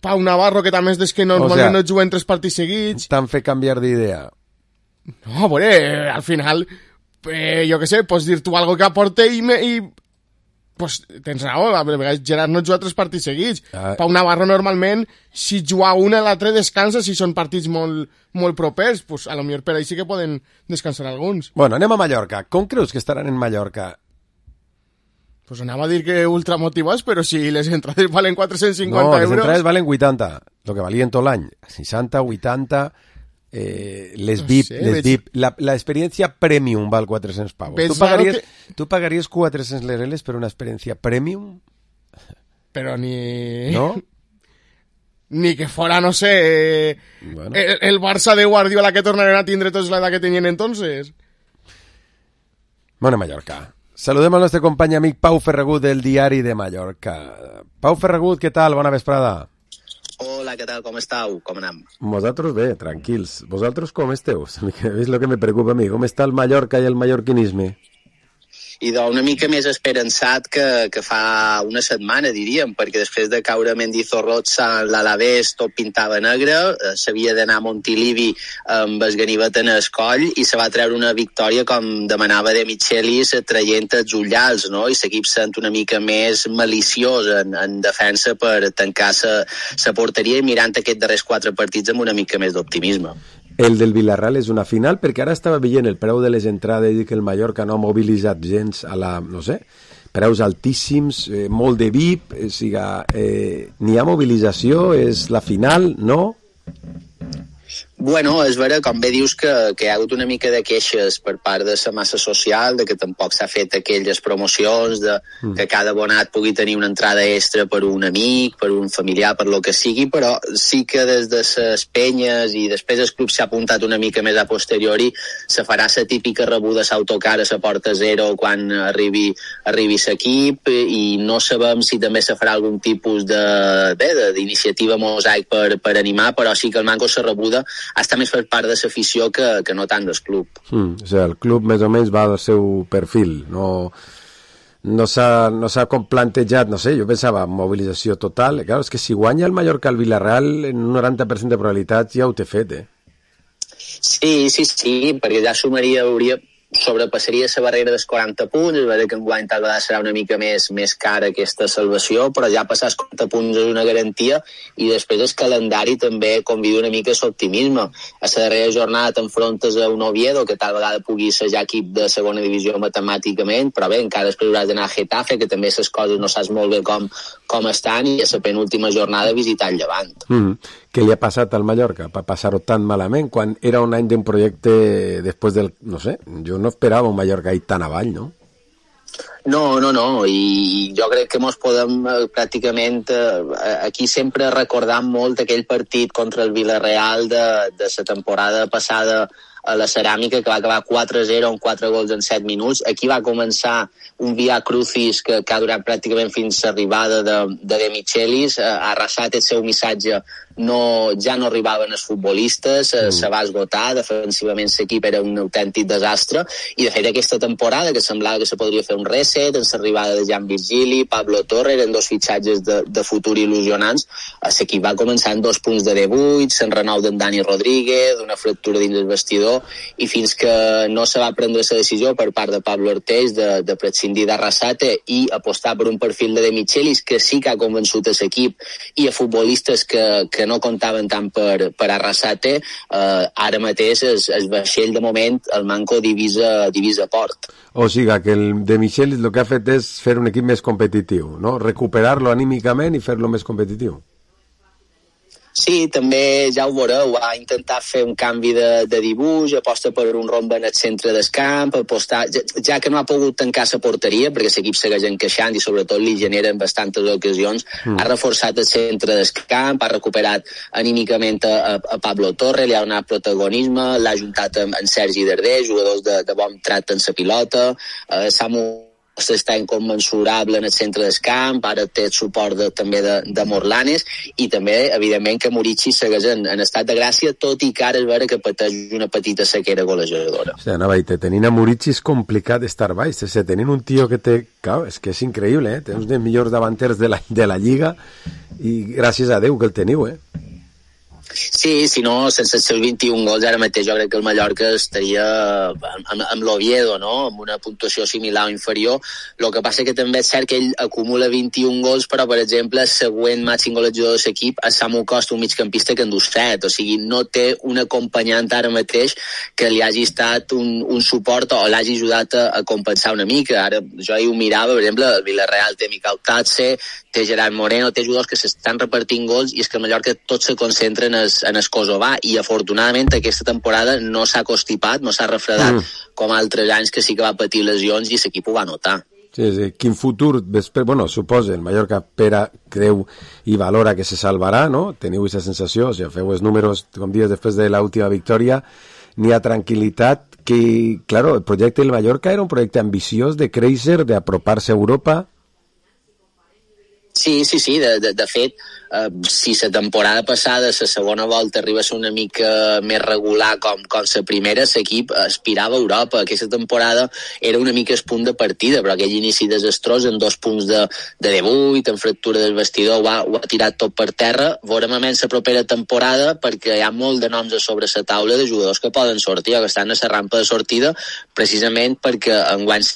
F: Pau Navarro, que també és des que normalment no juguen 3 partits seguits.
A: T'han fet canviar d'idea.
F: No, a veure, al final, jo què sé, pots dir tu algo que aporte i pues tens raó, a vegades Gerard no juga 3 partits seguits. Pau Navarro normalment, si juga una, l'altre descansa, si són partits molt propers, pues a lo millor per ahí sí que poden descansar alguns.
A: Bueno, anem a Mallorca. Com creus que estaran en Mallorca?
F: Pues anava a dir que ultramotivats, però si les entrades valen 450 euros...
A: No, les entrades valen 80, lo que valien tot l'any. 60, 80... les VIP, no sé, VIP. La experiencia premium val 400 pavos. ¿Tú pagarías 400 lereles per una experiencia premium?
F: Pero ni...
A: ¿No?
F: Ni que fuera, no sé, bueno. el Barça de Guardiola que tornaran a tindre tots l'edat que tenien entonces.
A: Bueno, Mallorca. Saludem al nostre company amic Pau Ferragut del Diari de Mallorca. Pau Ferragut, què tal? Bona vesprada.
R: Hola, què tal? Com estàu? Com anem?
A: Nosaltres bé, tranquils. Vosaltres com esteu? És el que me preocupa a mi. Com està el Mallorca i el mallorquinisme?
R: I una mica més esperançat que fa una setmana, diríem, perquè després de caure a Mendizorroza, l'Alavés tot pintava negre, s'havia d'anar a Montilivi amb el ganivet en el coll i se va treure una victòria com demanava De Michelis, traient els ullals, no? I l'equip sent una mica més maliciós en defensa per tancar la porteria i mirant aquests darrers 4 partits amb una mica més d'optimisme.
A: El del Villarreal és una final, perquè ara estava veient el preu de les entrades i que el Mallorca no ha mobilitzat gens a la, no sé, preus altíssims, molt de VIP, n'hi ha mobilització, és la final, no?
R: Bueno, és vera, com bé dius, que hi ha hagut una mica de queixes per part de la massa social, de que tampoc s'ha fet aquelles promocions, de que cada abonat pugui tenir una entrada extra per un amic, per un familiar, per lo que sigui, però sí que des de les penyes i després el club s'ha apuntat una mica més a posteriori, se farà la típica rebuda a l'autocar a la porta zero quan arribi l'equip i no sabem si també se farà algun tipus d'iniciativa mosaic per animar, però sí que el manco se rebuda està més per part de l'afició que no tant del club.
A: O sigui, el club més o menys va al seu perfil, no s'ha com plantejat, no sé, jo pensava mobilització total, clar, és que si guanya el Mallorca al Villarreal en un 90% de probabilitats ja ho té fet,
R: Sí, perquè ja sobrepassaria la barrera dels 40 punts, és veritat que enguany tal vegada serà una mica més cara aquesta salvació, però ja passar els 40 punts és una garantia i després el calendari també convida una mica l'optimisme. A la darrera jornada t'enfrontes a un Oviedo que tal vegada pugui ser ja equip de segona divisió matemàticament, però bé, encara després hauràs d'anar a Getafe, que també les coses no saps molt bé com estan, i a la penúltima jornada visitar el Llevant.
A: Què li ha passat al Mallorca per passar-ho tan malament quan era un any d'un projecte després del, no sé, jo no esperava un Mallorca ahí tan avall, no?
R: No, i jo crec que mos podem pràcticament aquí sempre recordar molt aquell partit contra el Villarreal de la temporada passada a la Ceràmica, que va acabar 4-0 amb 4 gols en 7 minuts. Aquí va començar un via crucis que ha durat pràcticament fins a l'arribada de Michelis. A Arrasat el seu missatge ja no arribaven els futbolistes, se va esgotar, defensivament l'equip era un autèntic desastre, i de fet aquesta temporada que semblava que se podria fer un reset, amb l'arribada de Jan Virgili, Pablo Torre, eren 2 fitxatges de futur il·lusionants, l'equip va començar amb 2 punts de debuig, se'n renou d'en Dani Rodríguez, una fractura dins el vestidor, i fins que no se va prendre la decisió per part de Pablo Orteix de prescindir d'Arrasate i apostar per un perfil de Michelis que sí que ha convençut l'equip i a futbolistes que no comptaven tant per Arrasate, ara mateix el vaixell de moment el manco divisa port.
A: O sigui que el de Michelis el que ha fet és fer un equip més competitiu, no? Recuperar-lo anímicament i fer-lo més competitiu.
R: Sí, també ja ho veureu, va intentar fer un canvi de dibuix, aposta per un rombe en el centre del camp, apostar, ja que no ha pogut tancar la porteria, perquè l'equip segueix encaixant i sobretot li generen bastantes ocasions, ha reforçat el centre del camp, ha recuperat anímicament a Pablo Torre, li ha donat protagonisme, l'ha juntat amb Sergi Darder, jugadors de bon trat en la pilota, Samu està incommensurable en el centre del camp, ara té el suport també de Morlanes, i també, evidentment, que Murici segueix en estat de gràcia, tot i que ara és vera que pateix una petita sequera golejadora.
A: O sigui, anava a dir, tenint a Murici és complicat estar baix, tenint un tio que té... Clar, és que és increïble, té uns dels millors davanters de la Lliga, i gràcies a Déu que el teniu,
R: Sí, si no, sense els seus 21 gols, ara mateix jo crec que el Mallorca estaria amb l'Oviedo, no?, amb una puntuació similar o inferior. El que passa que també és cert que ell acumula 21 gols, però, per exemple, el següent màxim golejador de l'equip és Samu Costa, un migcampista que en du 7, o sigui, no té un acompanyant ara mateix que li hagi estat un suport o l'hagi ajudat a compensar una mica. Ara, jo ahir ho mirava, per exemple, el Villarreal té Miquel Tatse, té Gerard Moreno, té jugadors que s'estan repartint gols, i és que el Mallorca tots se concentren en el Kosovar, i afortunadament aquesta temporada no s'ha constipat, no s'ha refredat com altres anys que sí que va patir lesions i l'equip ho va notar.
A: Sí, quin futur, bueno, suposa, el Mallorca creu i valora que se salvarà, no? Teniu aquesta sensació, o sigui, feu els números, com dies després de l'última victòria, n'hi ha tranquil·litat. que, claro, el proyecto del Mallorca era un proyecto ambiciós de créixer, d'aproparse a Europa.
R: Sí, de fet, si la temporada passada la segona volta arriba a ser una mica més regular com la primera, l'equip aspirava a Europa. Aquesta temporada era una mica el punt de partida, però aquell inici desastrós en 2 punts de debut, en fractura del vestidor, ho ha tirat tot per terra. Veurem a menys la propera temporada, perquè hi ha molt de noms a sobre la taula de jugadors que poden sortir o que estan a la rampa de sortida, precisament perquè enguany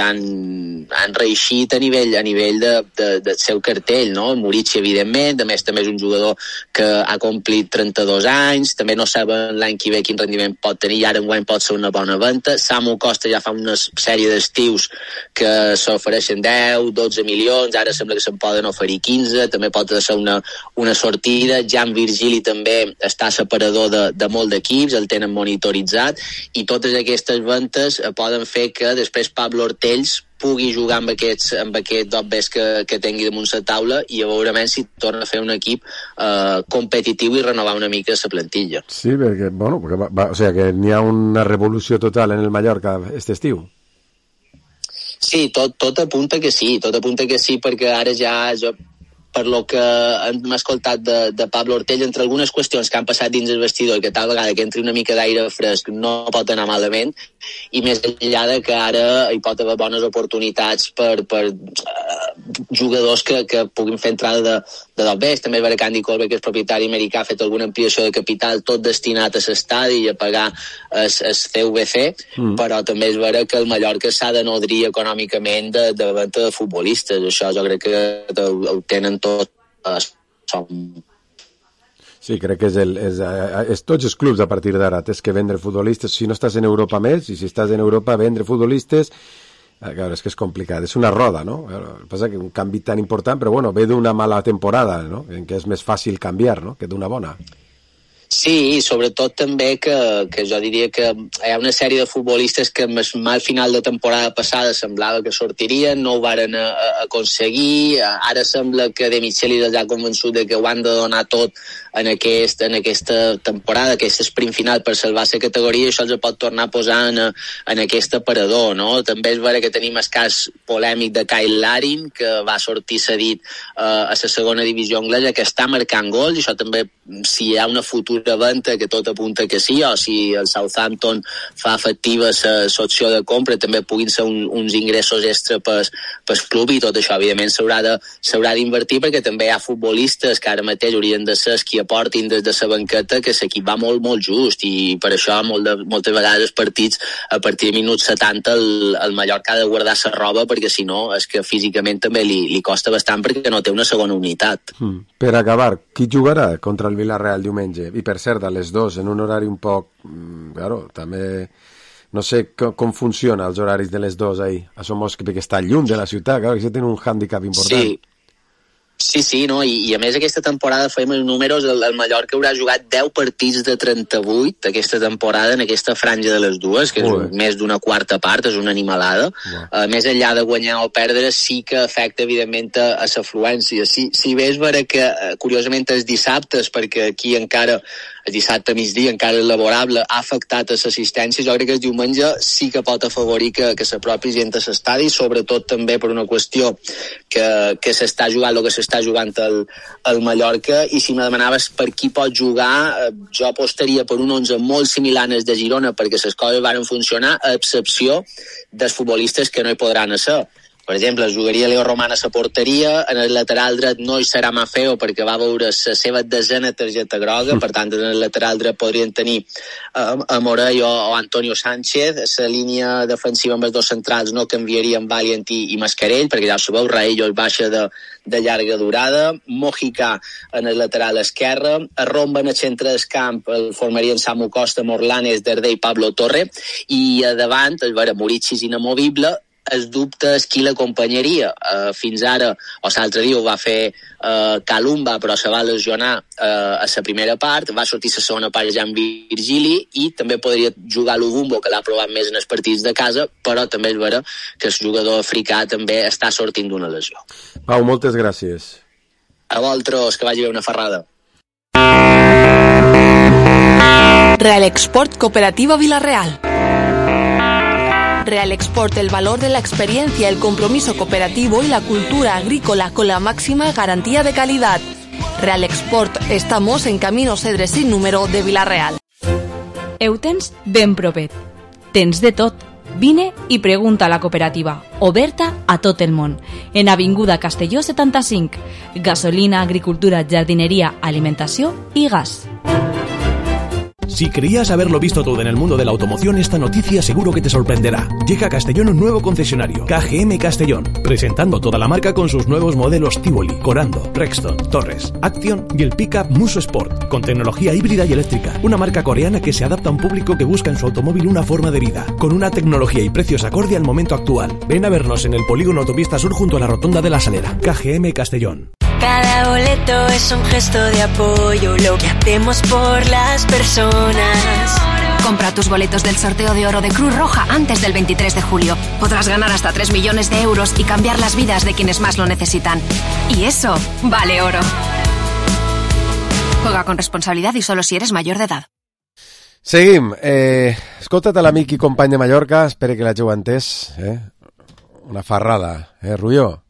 R: han reeixit a nivell del seu cartell, no? Murici, evidentment, a més també és un jugador que ha complit 32 anys, també no saben l'any que ve quin rendiment pot tenir, i ara enguany pot ser una bona venda. Samu Costa ja fa una sèrie d'estius que s'ofereixen 10, 12 milions, ara sembla que se'n poden oferir 15, també pot ser una sortida. Jan Virgili també està separador de molt d'equips, el tenen monitoritzat, i totes aquestes ventes poden fer que després Pablo Ortells pugui jugar amb aquest dobbers que tingui damunt la taula, i a veure si torna a fer un equip competitiu i renovar una mica la plantilla.
A: Sí, perquè, o sea, que n'hi ha una revolució total en el Mallorca este estiu.
R: Sí, tot apunta que sí, perquè ara ja per lo que hem escoltat de Pablo Ortell, entre algunes qüestions que han passat dins el vestidor i que tal vegada que entri una mica d'aire fresc no pot anar malament, i més enllà de que ara hi pot haver bones oportunitats per jugadors que puguin fer entrada de dobbers. També és vera que Andy Colby, que és propietari americà, ha fet alguna ampliació de capital, tot destinat a l'estadi i a pagar el CVC, però també és vera que el Mallorca s'ha de nodrir econòmicament de venda de futbolistes. Això jo crec que ho tenen tot.
A: Sí, crec que és tots els clubs a partir d'ara tens que vendre futbolistes. Si no estàs en Europa més, i si estàs en Europa vendre futbolistes, claro, és que és complicat, és una roda, no? Passa que un canvi tan important, però bueno, ve d'una mala temporada, no? En què és més fàcil canviar, no?, que d'una bona.
R: Sí, i sobretot també que jo diria que hi ha una sèrie de futbolistes que al final de temporada passada semblava que sortirien, no ho varen aconseguir, ara sembla que De Michelis ja ha convençut de que ho han de donar tot en aquesta temporada, aquest sprint final per salvar la categoria, i això els pot tornar a posar en aquest aparador, no? També és vera que tenim el cas polèmic de Kyle Larin, que va sortir cedit a la segona divisió anglesa, que està marcant gols, i això també, si hi ha una futura venda, que tot apunta que sí, o si el Southampton fa efectiva l'opció de compra, també puguin ser uns ingressos extra pel club, i tot això evidentment s'haurà d'invertir, perquè també hi ha futbolistes que ara mateix haurien de ser els qui aportin des de la banqueta, que l'equip va molt, molt just, i per això moltes vegades els partits a partir de minuts 70 el Mallorca ha de guardar la roba, perquè si no és que físicament també li costa bastant, perquè no té una segona unitat.
A: Per acabar, qui jugarà contra el Villarreal diumenge? I per cert, a les 2, en un horari un poc... Claro, també... No sé com funciona els horaris de les 2 ahí. Això perquè està lluny de la ciutat, claro, que això té un hàndicap important.
R: Sí, no? I a més aquesta temporada fèiem els números, el Mallorca haurà jugat 10 partits de 38 aquesta temporada en aquesta franja de les dues, que és més d'una quarta part, és una animalada. Més enllà de guanyar o perdre, sí que afecta evidentment a l'afluència. Si bé és vera que curiosament els dissabtes, perquè aquí encara el dissabte a migdia encara és laborable, ha afectat a l'assistència, jo crec que el diumenge sí que pot afavorir que s'apropi gent a l'estadi, sobretot també per una qüestió que s'està jugant el que s'està jugant el Mallorca, i si me demanaves per qui pot jugar, jo apostaria per un 11 molt similar al de Girona, perquè les coses van funcionar, a excepció dels futbolistes que no hi podran ser. Per exemple, jugaria Leo Roman a la porteria, en el lateral dret no hi serà Mafeo perquè va veure la seva desena targeta groga, per tant en el lateral dret podrien tenir a Morell o Antonio Sánchez. La línia defensiva amb els dos centrals no canviaria amb Valiant i Mascarell, perquè ja ho sabeu, Raello es baixa de llarga durada, Mojica en el lateral esquerre, a Romba en el centre del camp el formarien Samu Costa, Morlanes, Dardé i Pablo Torre, i a davant, Murici és inamovible. El dubte és qui l'acompanyaria. Fins ara, o l'altre dia ho va fer Kalumba, però se va lesionar a la primera part, va sortir la segona part Jan Virgili, i també podria jugar l'Ubumbo, que l'ha provat més en els partits de casa, però també és vera que el jugador africà també està sortint d'una lesió.
A: Pau, moltes gràcies.
R: A vosaltres, que vagi bé una ferrada.
H: Real Export Cooperativa Villarreal. Real Export, el valor de la experiencia, el compromiso cooperativo y la cultura agrícola con la máxima garantía de calidad. Real Export, estamos en Camino Cedre sin número de Vila-real.
S: Ho tens ben propet. Tens de tot. Vine i pregunta a la cooperativa, oberta a tot el món. En Avinguda Castelló 75. Gasolina, agricultura, jardinería, alimentació i gas.
T: Si creías haberlo visto todo en el mundo de la automoción, esta noticia seguro que te sorprenderá. Llega a Castellón un nuevo concesionario, KGM Castellón, presentando toda la marca con sus nuevos modelos Tivoli, Corando, Rexton, Torres, Action y el pickup Muso Sport, con tecnología híbrida y eléctrica. Una marca coreana que se adapta a un público que busca en su automóvil una forma de vida, con una tecnología y precios acorde al momento actual. Ven a vernos en el polígono Autopista Sur junto a la Rotonda de la Salera. KGM Castellón.
U: Cada boleto es un gesto de apoyo, lo que hacemos por las personas.
V: Compra tus boletos del sorteo de oro de Cruz Roja antes del 23 de julio. Podrás ganar hasta 3 millones de euros y cambiar las vidas de quienes más lo necesitan. Y eso vale oro. Juega con responsabilidad y solo si eres mayor de edad.
A: Seguim. Escolta't a l'amic i company de Mallorca, espero que l'hàgiu entès. Una farrada, Rubió?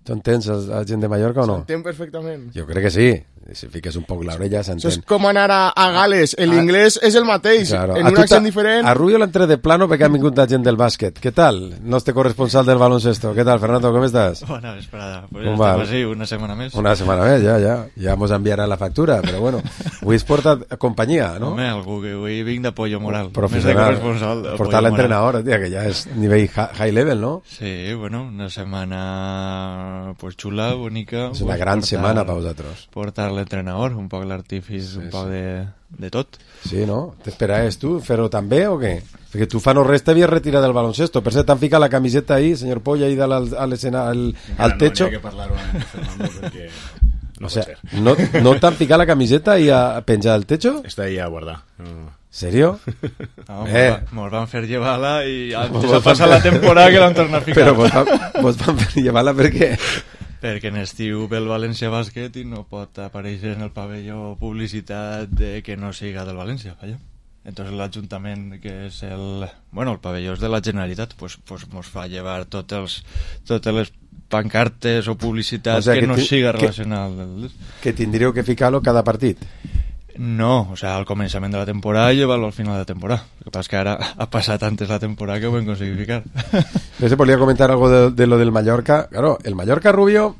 A: Tu entens la gent de Mallorca o no?
F: S'entén perfectament.
A: Jo crec que sí. Si fiques un poc l'orella, s'entén.
F: Això és com anar a Gales. L'inglès és el mateix, claro. En un accent diferent.
A: A Rubio l'han tret de plano perquè han vingut la gent del bàsquet. Què tal? Nostre corresponsal del baloncesto. Què tal, Fernando? Com estàs?
W: Bona vesprada. Pues estem així, una setmana més.
A: Una setmana més, ja. Ja mos enviarà la factura, però bueno. Avui es porta companyia, no?
W: Home, algú que avui vinc d'apoyo moral.
A: Professional. Portar l'entrenador, tia, que ja és nivell high level, no?
W: Sí, bueno, una setmana pues xula, bonica.
A: És una gran setmana per vosaltres.
W: Portar l'entrenador, un poc l'artífice, un poc de tot.
A: Sí, no? T'esperaves tu fer-ho també o què? Perquè tu fa no res t'havies retirat del baloncesto. Per cert, t'han ficat la camiseta ahí, senyor Polla, ahí a l'escena, al techo.
X: No, n'hi ha que parlar-ho amb Fernando perquè no
A: pot ser. ¿No t'han ficat la camiseta ahí a penjar al techo?
X: Está ahí a guardar.
A: ¿Serio?
W: No, mos van fer llevar-la i antes de passar la temporada que l'han tornat a ficar.
A: Però mos van fer llevar-la per què?
W: Perquè en estiu ve el València Bàsquet i no pot aparèixer en el pavelló publicitat de que no siga del València, vaja. Entonces l'Ajuntament, que és el pavelló és de la Generalitat, pues mos fa llevar totes les pancartes o publicitat que no siga relacionada.
A: Que tindríeu que ficar-lo cada partit?
W: No, al començament de la temporada i llevar-lo al final de la temporada. El que passa és que ara ha passat antes la temporada que ho hem aconseguit ficar.
A: Yo se podría comentar algo de lo del Mallorca. Claro, el Mallorca, Rubio...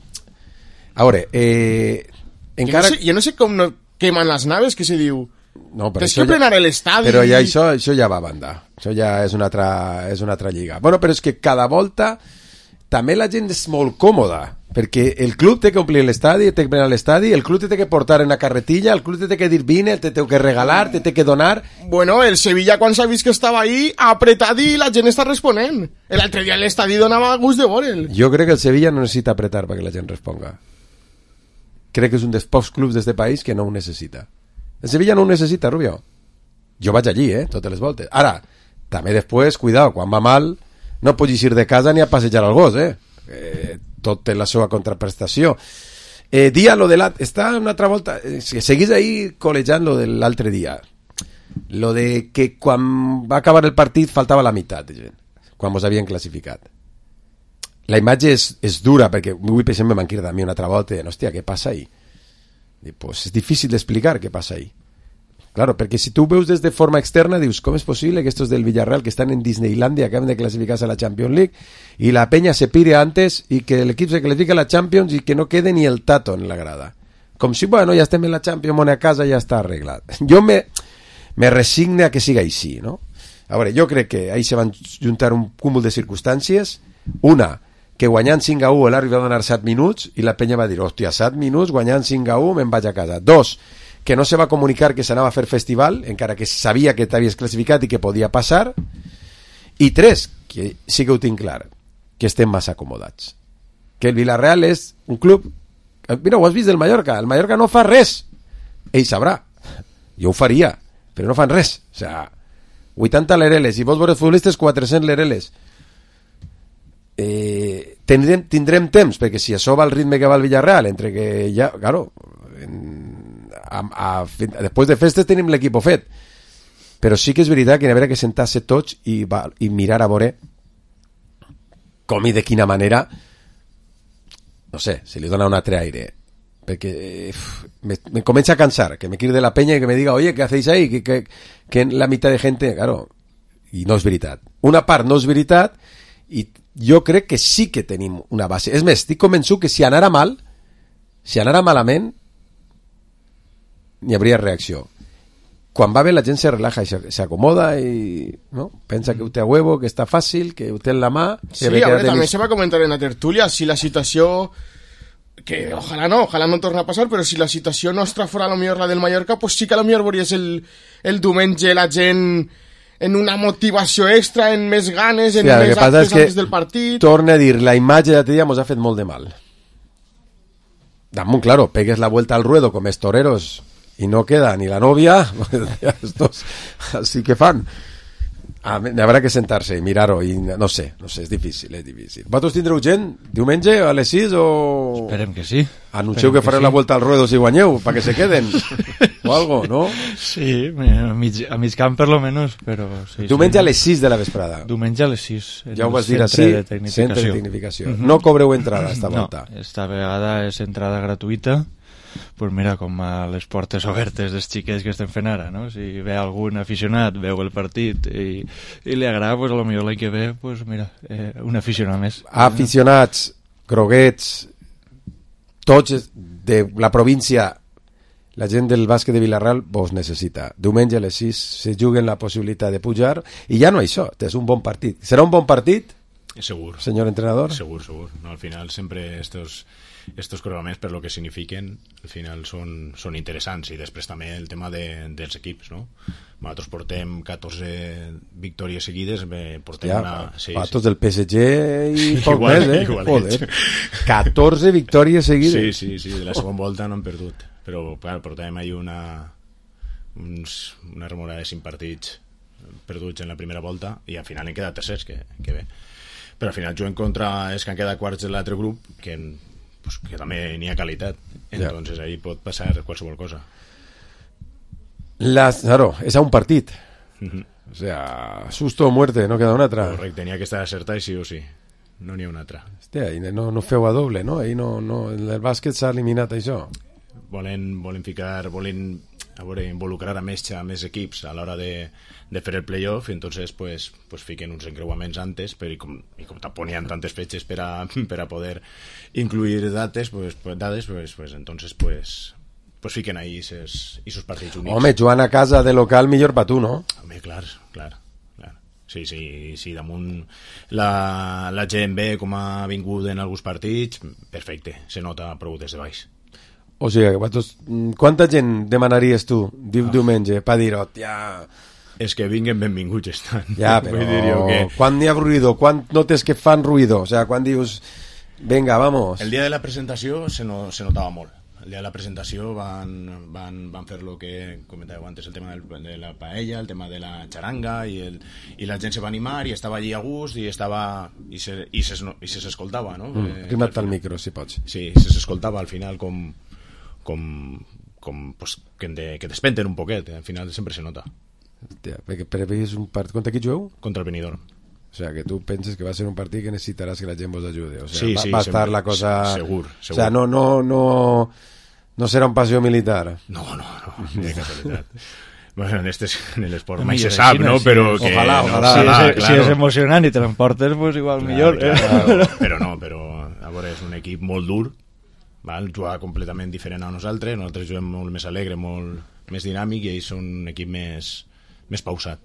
A: Ahora,
F: yo no sé cómo queman las naves, que se diu...
A: No, però
F: és que plenar l'estadi...
A: Però ja això ja va a banda. Això ja és una altra lliga. Bueno, però és que cada volta també la gent és molt còmoda, perquè el club té que omplir l'estadi, té que plenar l'estadi, el club té que portar en una carretilla, el club té que dir vine, té que regalar, té que donar...
F: Bueno, el Sevilla, quan s'ha vist que estava ahí, ha apretat i la gent està responent. L'altre dia l'estadi donava gust de veure'l.
A: Jo crec que el Sevilla no necessita apretar perquè la gent responga. Crec que és un dels pocs clubs d'este país que no ho necessita. El Sevilla no ho necessita, Rubio. Jo vaig allí, totes les voltes. Ara, també després, cuidado, quan va mal, no pots ir de casa ni a passejar al gos, tot té la seva contraprestació. Dia, lo de està una altra volta, seguís ahí col·lejant lo de l'altre dia. Lo de que quan va acabar el partit faltava la meitat de gent, quan mos havien classificat. La imatge és dura, perquè avui, per exemple, m'han cridat a mi una altra volta, hòstia, què passa ahí? Pues és difícil d'explicar què passa ahí. Claro, perquè si tu veus des de forma externa, dius, com és possible que estos del Villarreal, que estan en Disneylandia, acaben de clasificarse a la Champions League, y la peña se pire antes, y que el equip se clasifica a la Champions, y que no quede ni el tato en la grada? Com si, bueno, ja estem en la Champions, mone a casa, ja està arreglat. Jo me resigne a que siga així, no? A veure, jo crec que ahí se van juntar un cúmul de circumstàncies. Una, que guanyant 5-1 l'àrbitre va donar 7 minuts i la penya va dir, hòstia, 7 minuts guanyant 5-1 me'n vaig a casa. 2, que no se va comunicar que s'anava a fer festival, encara que sabia que t'havies classificat i que podia passar. I 3, que sí que ho tinc clar, que estem massa acomodats, que el Villarreal és un club, mira, ho has vist del Mallorca, el Mallorca no fa res, ell sabrà, jo ho faria, però no fan res, o sea, 80 lereles, i vols veure futbolistes 400 lereles. Tindrem temps, perquè si això va al ritme que va el Villarreal, entre que ja, claro, després de festes tenim l'equip fet, però sí que és veritat que n'hi haurà que sentar-se tots i mirar a veure com i de quina manera, no sé, si li dona un altre aire, perquè me comença a cansar que me cride la peña y que me diga, oye, ¿qué hacéis ahí? Que la mitad de gente, claro, i no és veritat. Una part no és veritat i jo crec que sí que tenim una base. És més, estic convençut que si anara malament n'hi hauria reacció. Quan va bé la gent se relaja i se acomoda i no? Pensa que ho té a huevo, que està fàcil, que ho té en la mà.
F: Sí, a ver, també se va comentar en la tertúlia si la situació, que ojalá no torna a passar, però si la situació nostra fora a lo millor la del Mallorca, pues sí que a lo millor veuries el diumenge la gent en una motivació extra, en més ganes, en més actes antes del partit.
A: Torna a dir, la imatge de l'altre dia mos ha fet molt de mal. Damunt, claro, pegues la vuelta al ruedo com els toreros y no queda ni la novia, estos así que fan. Habrá que sentar-se i mirar-ho i no sé, és difícil. Vosaltres tindreu gent diumenge a les 6 o...
W: Esperem que sí.
A: Anuncieu que fareu la vuelta al ruedo si guanyeu, para que se queden o algo, ¿no?
W: Sí, a mig camp per lo menos, però sí.
A: Diumenge a les 6 de la vesprada.
W: Diumenge a les 6.
A: Ja ho vas dir així, centre de tecnificació. No cobreu entrada esta volta.
W: No, esta vegada és entrada gratuïta. Pues mira, com a les portes obertes dels xiquets que estem fent ara, no? Si ve algun aficionat, veu el partit i li agrada, pues a lo millor l'any que ve, pues mira, un aficionat més.
A: Aficionats, groguets, tots de la província, la gent del bàsquet de Vila-real vos necessita. Diumenge a les 6 se juguen la possibilitat de pujar i ja no això, és un bon partit. Serà un bon partit?
X: Segur.
A: Señor entrenador?
X: Segur. No, al final sempre estos programes, per lo que signifiquen, al final són interessants, i després també el tema dels equips, no? Nosaltres portem 14 victòries seguides, portem
A: tots del PSG i poc més, Joder. 14 victòries seguides.
X: Sí, de la segona volta no hem perdut, però clar, portem ahí una remora de 5 partits perduts en la primera volta i al final hem quedat tercers, que bé. Però al final juguem contra els que han quedat quarts de l'altre grup, que també n'hi ha qualitat, entonces ahí pot passar qualsevol cosa.
A: Claro, és a un partit, o sea, susto o muerte, no queda una altra.
X: Correcte, n'hi ha que estar acertat sí o sí, no n'hi ha una altra.
A: Hòstia, no feu a doble, no? Ahí no, el bàsquet s'ha eliminat això.
X: Volen involucrar a més equips a l'hora de fer el playoff, i entonces pues fiquen uns encreuaments antes, i com tampoc n'hi ha tantes fetges per a poder incluir dades, entonces fiquen ahí esos partits únics.
A: Home, jugant a casa de local millor per tu, no?
X: Home, clar. Sí, damunt la gent ve com ha vingut en alguns partits, perfecte, se nota prou des de baix.
A: O sigui, quanta gent demanaries tu diumenge per dir, hòstia...
X: És que vinguen benvinguts estan.
A: Ja, però quan n'hi ha ruïdo? Quan notes que fan ruïdo? O sigui, quan dius, venga, vamos...
X: El dia de la presentació se notava molt. El dia de la presentació van fer lo que comentàveu antes, el tema de la paella, el tema de la xaranga, i la gent se va animar i estava allí a gust i s'escoltava, no?
A: Rima't al micro, si pots.
X: Sí, s'escoltava al final com que despenten un poquet, al final sempre se nota.
A: Hòstia, perquè és un partit... Contra qui jugueu?
X: Contra el Benidorm.
A: O sea, que tu penses que va a ser un partit que necessitaràs que la gent vos ajude. O sea, va a estar la cosa...
X: Segur.
A: O sea, no serà un passió militar.
X: No, ni de casualitat. Bueno, en l'esport mai se sap, no? Però que...
W: Ojalà. Si és emocionant i te l'emportes, pues igual millor.
X: Però a veure, és un equip molt dur, jugar completament diferent a nosaltres juguem molt més alegre, molt més dinàmic, i ells són un equip més pausat.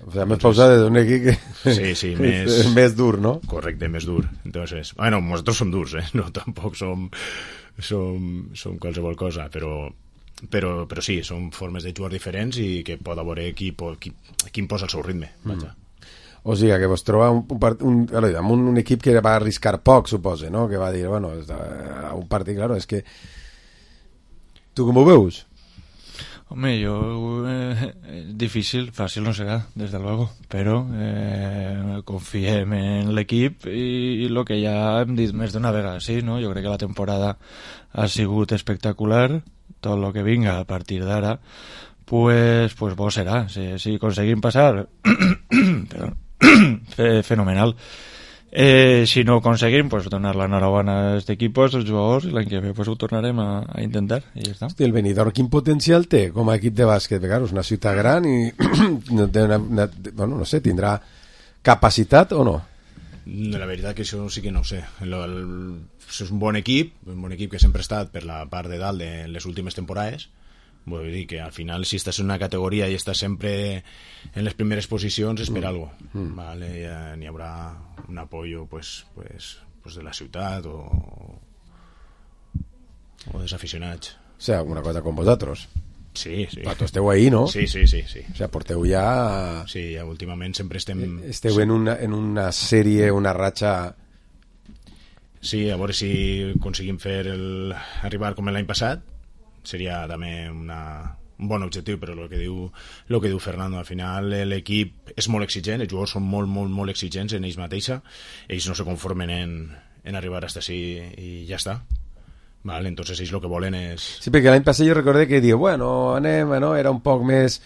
A: O sea, més pausat d'un equip que
X: sí,
A: més dur, no?
X: Correcte, més dur. Entonces, bueno, nosaltres som durs, no tampoc som qualsevol cosa, però sí, són formes de jugar diferents i que pot haver qui imposa el seu ritme.
A: O sigui, que vos troba un equip que va arriscar poc, suposa, no? Que va dir, bueno, un partit, claro, és que... Tu com ho veus?
W: Home, difícil, fàcil no serà, desde luego, però confiem en l'equip i el que ja hem dit més d'una vegada, sí, no? Jo crec que la temporada ha sigut espectacular, tot el que vinga a partir d'ara, pues bo serà, si aconseguim passar, fenomenal. Si no ho aconseguim, pues, donar l'enhorabona a aquest equip, als jugadors, i l'any que ve pues, ho tornarem a intentar, i ja està.
A: Hosti, el Benidorm quin potencial té com a equip de bàsquet? Perquè és una ciutat gran i no té bueno, no sé, tindrà capacitat o no?
X: La veritat que això sí que no ho sé. És un bon equip que sempre ha estat per la part de dalt de les últimes temporades. Vull dir que al final si estàs en una categoria i estàs sempre en les primeres posicions és per algo. Vale, ja n'hi haurà un apoyo pues de la ciutat o dels aficionats.
A: O sea, una cosa con vosotros.
X: Sí.
A: Vosaltres esteu ahí, no?
X: Sí.
A: O sea, porteu ja...
X: Sí, ja últimament sempre estem...
A: Esteu en una sèrie, una ratxa...
X: Sí, a veure si aconseguim arribar com l'any passat. Seria també un bon objectiu, però el que diu Fernando, al final l'equip és molt exigent, els jugadors són molt exigents en ells mateixa, ells no se conformen en arribar hasta així i ja està. Vale, entonces ells lo que volen és...
A: Sí, perquè l'any passat jo recordé que diu, bueno, anem, no? Era un poc més...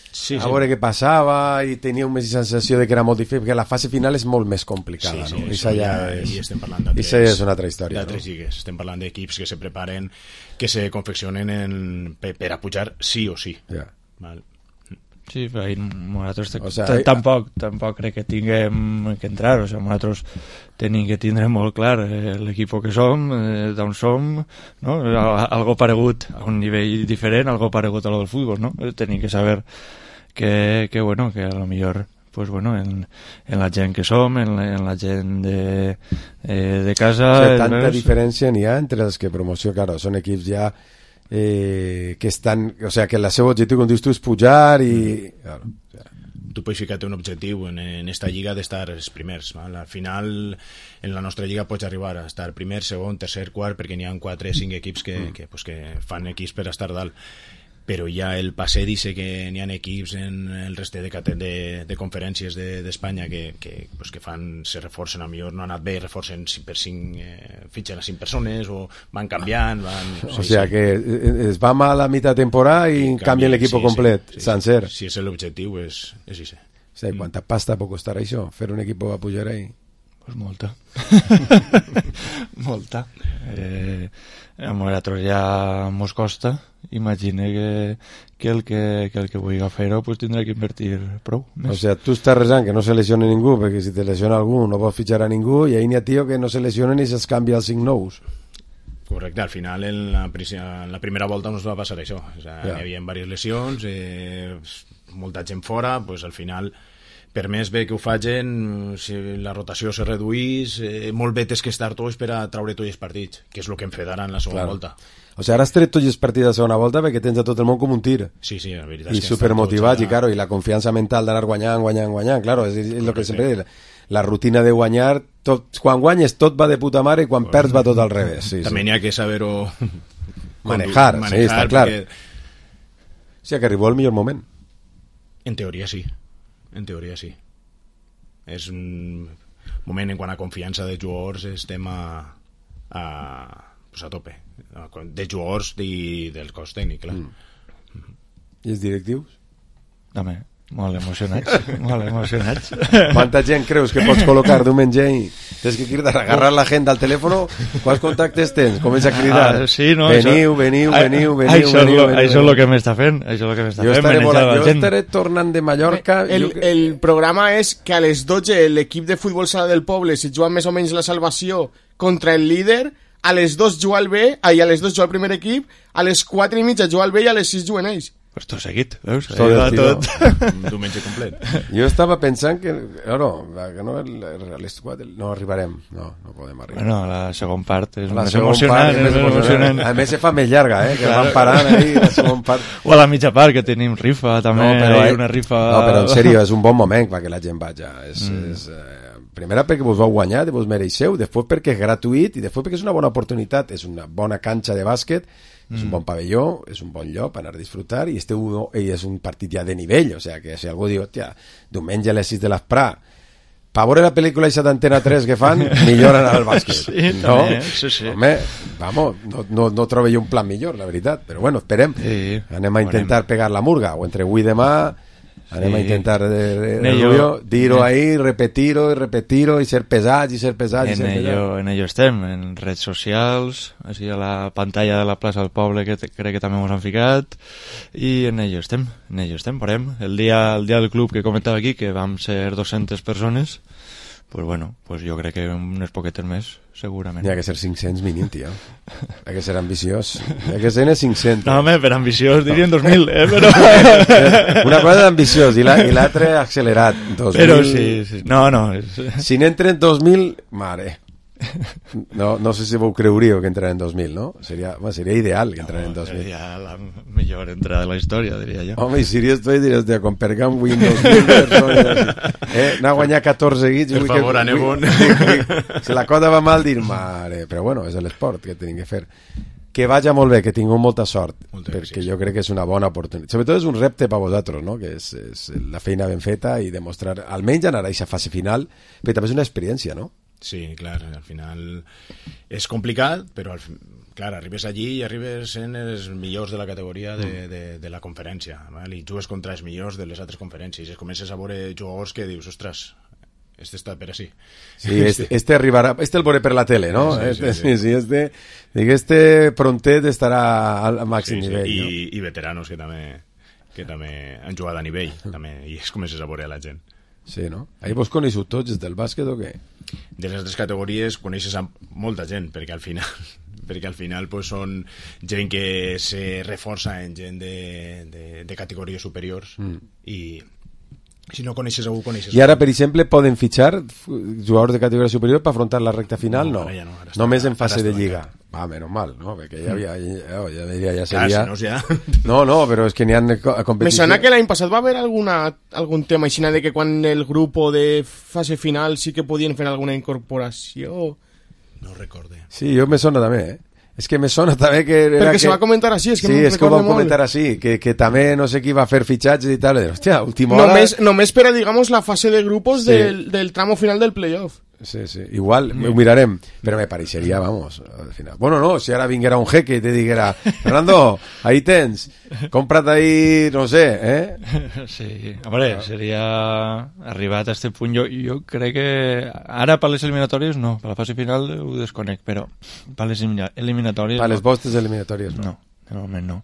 A: Sí. veure què passava i tenia una sensació de que era molt difícil, perquè la fase final és molt més complicada, no?
X: I estem parlant
A: és una altra història,
X: d'altres lligues. Estem parlant d'equips que se preparen, que se confeccionen per a pujar sí o sí. Val.
W: Sí, però nosaltres tampoc crec que tinguem que entrar, o sigui, nosaltres tenim que tindre molt clar l'equip que som, d'on som, no? Algo paregut a un nivell diferent, algo paregut a lo del futbol, no? Tenim que saber que a lo millor pues bueno, en la gent que som, en la gent de casa...
A: O sigui, tanta diferència n'hi ha entre els que promoció, claro, són equips ja que estan, o sea, que el seu objectiu, com dius tu, és pujar i... Claro, o sea.
X: Tu pots ficar-te un objectiu en esta lliga d'estar els primers, val? Al final en la nostra lliga pots arribar a estar primer, segon, tercer, quart, perquè n'hi ha 4 o 5 equips que fan equips per estar dalt, però ja el passe dice que n'hi ha equips en el reste de conferències d'Espanya que se reforcen, a millor no ha anat bé, reforcen 5 per 5, fitxen a 5 persones o van canviant,
A: o sea que es va mal a mitad temporada i canvien l'equip complet, sencer.
X: Si és l'objectiu, és això.
A: O sea, ¿cuánta pasta puede costar això? Fer un equip a pujar ahí?
W: Pues molta. Molta. A nosaltres ja mos costa. Imagina que el que vulgui fer-ho pues tindrà que invertir prou més.
A: O sea, tu estàs resant que no se lesioni ningú, perquè si te lesiona algú no pots fitxar a ningú, i ahí n'hi ha tio que no se lesionen i se'ls canvia els 5 nous.
X: Correcte, al final en la primera volta no es va passar això, o sea, hi havia diverses lesions, molta gent fora, pues al final per més bé que ho facin, si la rotació se reduís, molt bé tens que estar tots per a traure tots els partits, que és el que hem fet ara en la segona volta.
A: O sigui, ara has tret tots els partits de la segona volta perquè tens a tot el món com un tir.
X: Sí, la veritat
A: és que supermotivats, i claro, i la confiança mental d'anar guanyant, claro, és el que sempre dic, la rutina de guanyar, quan guanyes tot va de puta mare i quan perds va tot al revés.
X: També n'hi ha que saber-ho
A: manejar, sí, està clar. O sigui, que arribó el millor moment.
X: En teoria sí. És un moment en quant a confiança de jugadors estem a tope, de jugadors i del cos tècnic, clar.
A: I els directius?
W: També, molt emocionats.
A: Quanta gent creus que pots col·locar diumenge i tens que cridar, agarrar la gent al telèfon? Quants contactes tens? Comença a cridar.
W: Sí, no,
A: veniu.
W: Això és el que m'està fent.
A: Jo estaré tornant de Mallorca.
F: El programa és que a les 12 l'equip de futbol sala del poble se juga més o menys la salvació contra el líder, a les 2 juga el B, a les 2 juga el primer equip, a les 4 i mitja juga el B i a les 6 juguen ells.
W: Pues tot seguit, veus?
X: Tot. Un diumenge complet.
A: Jo estava pensant que a les 4 no arribarem. No podem arribar.
W: Bueno, la segona part és més emocionant.
A: A més se fa més llarga, que van parant ahí la segona part.
W: O a la mitja part, que tenim rifa també. Una rifa...
A: No, però en sèrio, és un bon moment perquè la gent vaja. Primera perquè vos vau guanyar, vos mereixeu, després perquè és gratuït i després perquè és una bona oportunitat, és una bona canxa de bàsquet, és un bon pavelló, és un bon lloc per anar a disfrutar i és un partit ja de nivell, o sigui que si algú diu, hòstia, diumenge a les 6 de l'esprà, per veure la pel·lícula i d'Antena 3 que fan, millor anar al bàsquet.
W: Sí,
A: no?
W: Sí.
A: Home, no trobo jo un plan millor, la veritat, però bueno, esperem. Anem a intentar pegar la murga, o entre avui i demà Anem a intentar Rubio, dir-ho ahí, repetir-ho i ser pesats i ser pesats.
W: En ello estem, en redes socials, així a la pantalla de la plaça del poble que crec que també ens han ficat, i en ello estem, parem. El dia del club que comentava aquí, que vam ser 200 persones, pues bueno, pues jo crec que unes poquetes més, segurament.
A: Hi ha que ser 500 mínim, tio. Hi ha que ser ambiciós. Hi ha que ser 500.
W: No, home, per ambiciós dirien 2.000, però...
A: Una cosa d'ambiciós i l'altre accelerat. 2.000...
W: Però sí. No.
A: Si n'entren 2.000, mare... No sé si vos creuríeu que entraran en 2000, ¿no? Sería ideal que entraran en 2000.
W: Sería la mejor entrada de la historia, diría yo.
A: Home, i si diries, con Pergam win 2.000 persones, n'ha guanyat 14 seguits.
X: Per favor, anem on.
A: Si la cosa va mal, dir, mare, però bueno, és l'esport que tenim que fer. Que vagi molt bé, que tingueu molta sort, perquè jo crec que és una bona oportunitat. Sobretot és un repte per vosaltres, no? Que és la feina ben feta i demostrar, almenys anar a aquesta fase final, però també és una experiència, no?
X: Sí, clar, al final és complicat, però clar, arribes allí i arribes en els millors de la categoria de la conferència, val? I jugues contra els millors de les altres conferències i comences a veure jugadors que dius, ostres, este està per així.
A: Sí, este arribarà, el veuré per la tele, no? Sí, este prontet estarà al màxim nivell.
X: No? I veteranos que també han jugat a nivell, també, i es comences a veure a la gent.
A: Sí, no? Ahí vos coneixeu tots des del bàsquet o què?
X: De les altres categories coneixes a molta gent, perquè al final pues, són gent que se reforça en gent de categories superiors i si no coneixes algú, coneixes
A: I ara, per exemple, poden fitxar jugadors de categoria superior per afrontar la recta final? No, ja no. Només en fase de lliga. Va, menys mal, no? Perquè ja seria... No, però és que n'hi ha competició.
F: Me sona que l'any passat va haver algun tema així de que quan el grup de fase final sí que podien fer alguna incorporació.
X: No recorde.
A: Sí, jo me sona també, És que me sona també que...
F: Perquè se va comentar així, és que
A: sí, és que ho vam comentar així, que també no sé qui va fer fitxatges i tal, hòstia, última hora...
F: Només per a, digamos, la fase de grupos del tramo final del playoff.
A: Sí, igual ho mirarem, però me pareixeria, vamos, al final. Bueno, no, si ara vinguera un jeque i te diguera, Fernando, ahí tens, compra't ahí, no sé,
W: Sí, hombre, seria arribat a este punt, jo crec que ara per les eliminatòries no, per la fase final ho desconec, però per les eliminatòries...
A: Per les vostres eliminatòries no.
W: No, de moment no.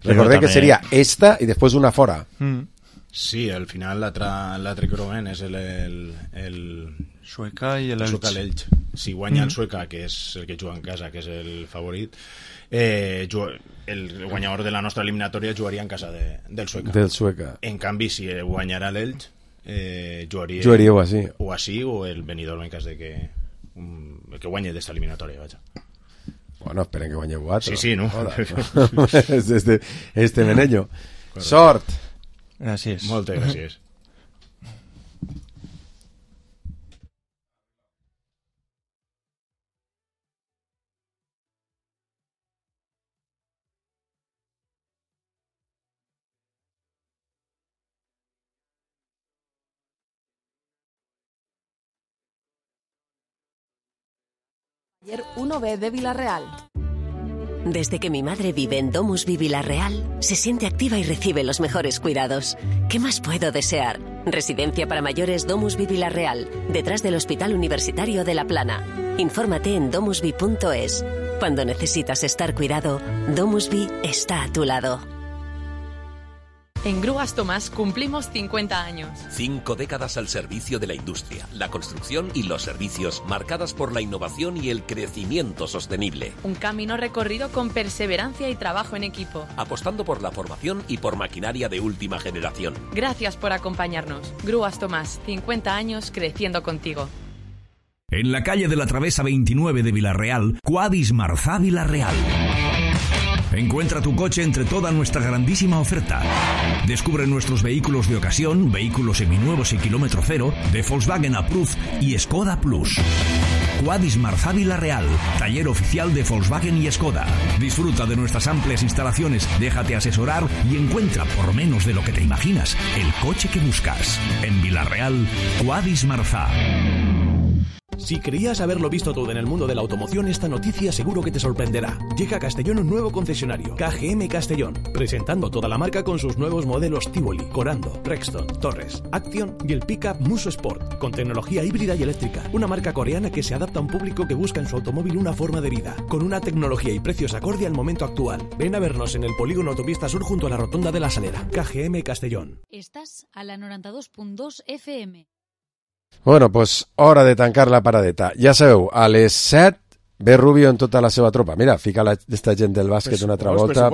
A: Recordem que seria esta i després una fora.
X: Sí, al final l'altre creuament és el
W: Sueca i
X: l'Elx. Si guanya el Sueca, que és el que juga en casa, que és el favorit, el guanyador de la nostra eliminatòria jugaria en casa del Sueca. En canvi, si guanyarà l'Elx,
A: jugaríeu així.
X: O així, o el Benidorm en cas de que el que guanyi d'esta eliminatòria, vaja.
A: Bueno, esperen que guanyeu 4.
X: Sí, no?
A: Este Menello. Sort!
W: Gràcies.
X: Moltes gràcies.
H: Taller 1B de Villarreal.
P: Desde que mi madre vive en Domusvi Villarreal, se siente activa y recibe los mejores cuidados. ¿Qué más puedo desear? Residencia para mayores Domusvi Villarreal, detrás del Hospital Universitario de La Plana. Infórmate en domusvi.es. Cuando necesitas estar cuidado, Domusvi está a tu lado.
D: En Grúas Tomás cumplimos 50 años.
E: 5 décadas al servicio de la industria, la construcción y los servicios, marcadas por la innovación y el crecimiento sostenible.
D: Un camino recorrido con perseverancia y trabajo en equipo.
E: Apostando por la formación y por maquinaria de última generación.
D: Gracias por acompañarnos. Grúas Tomás, 50 años creciendo contigo.
T: En la calle de la Travesa 29 de Villarreal, Quadis Marzà Villarreal. Encuentra tu coche entre toda nuestra grandísima oferta. Descubre nuestros vehículos de ocasión, vehículos seminuevos y kilómetro cero, de Volkswagen Approved y Skoda Plus. Quadis Marzà Villarreal, taller oficial de Volkswagen y Skoda. Disfruta de nuestras amplias instalaciones, déjate asesorar y encuentra, por menos de lo que te imaginas, el coche que buscas. En Villarreal, Quadis Marzà. Si creías haberlo visto todo en el mundo de la automoción, esta noticia seguro que te sorprenderá. Llega a Castellón un nuevo concesionario, KGM Castellón, presentando toda la marca con sus nuevos modelos Tivoli, Corando, Rexton, Torres, Action y el pickup Muso Sport, con tecnología híbrida y eléctrica. Una marca coreana que se adapta a un público que busca en su automóvil una forma de vida, con una tecnología y precios acorde al momento actual. Ven a vernos en el polígono Autopista Sur junto a la Rotonda de la Salera. KGM Castellón.
M: Estàs a la 92.2 FM.
A: Bueno, pues hora de tancar la paradeta. Ja sabeu, a les 7 ve Rubio en tota la seva tropa. Mira, fica esta gent del bàsquet una altra volta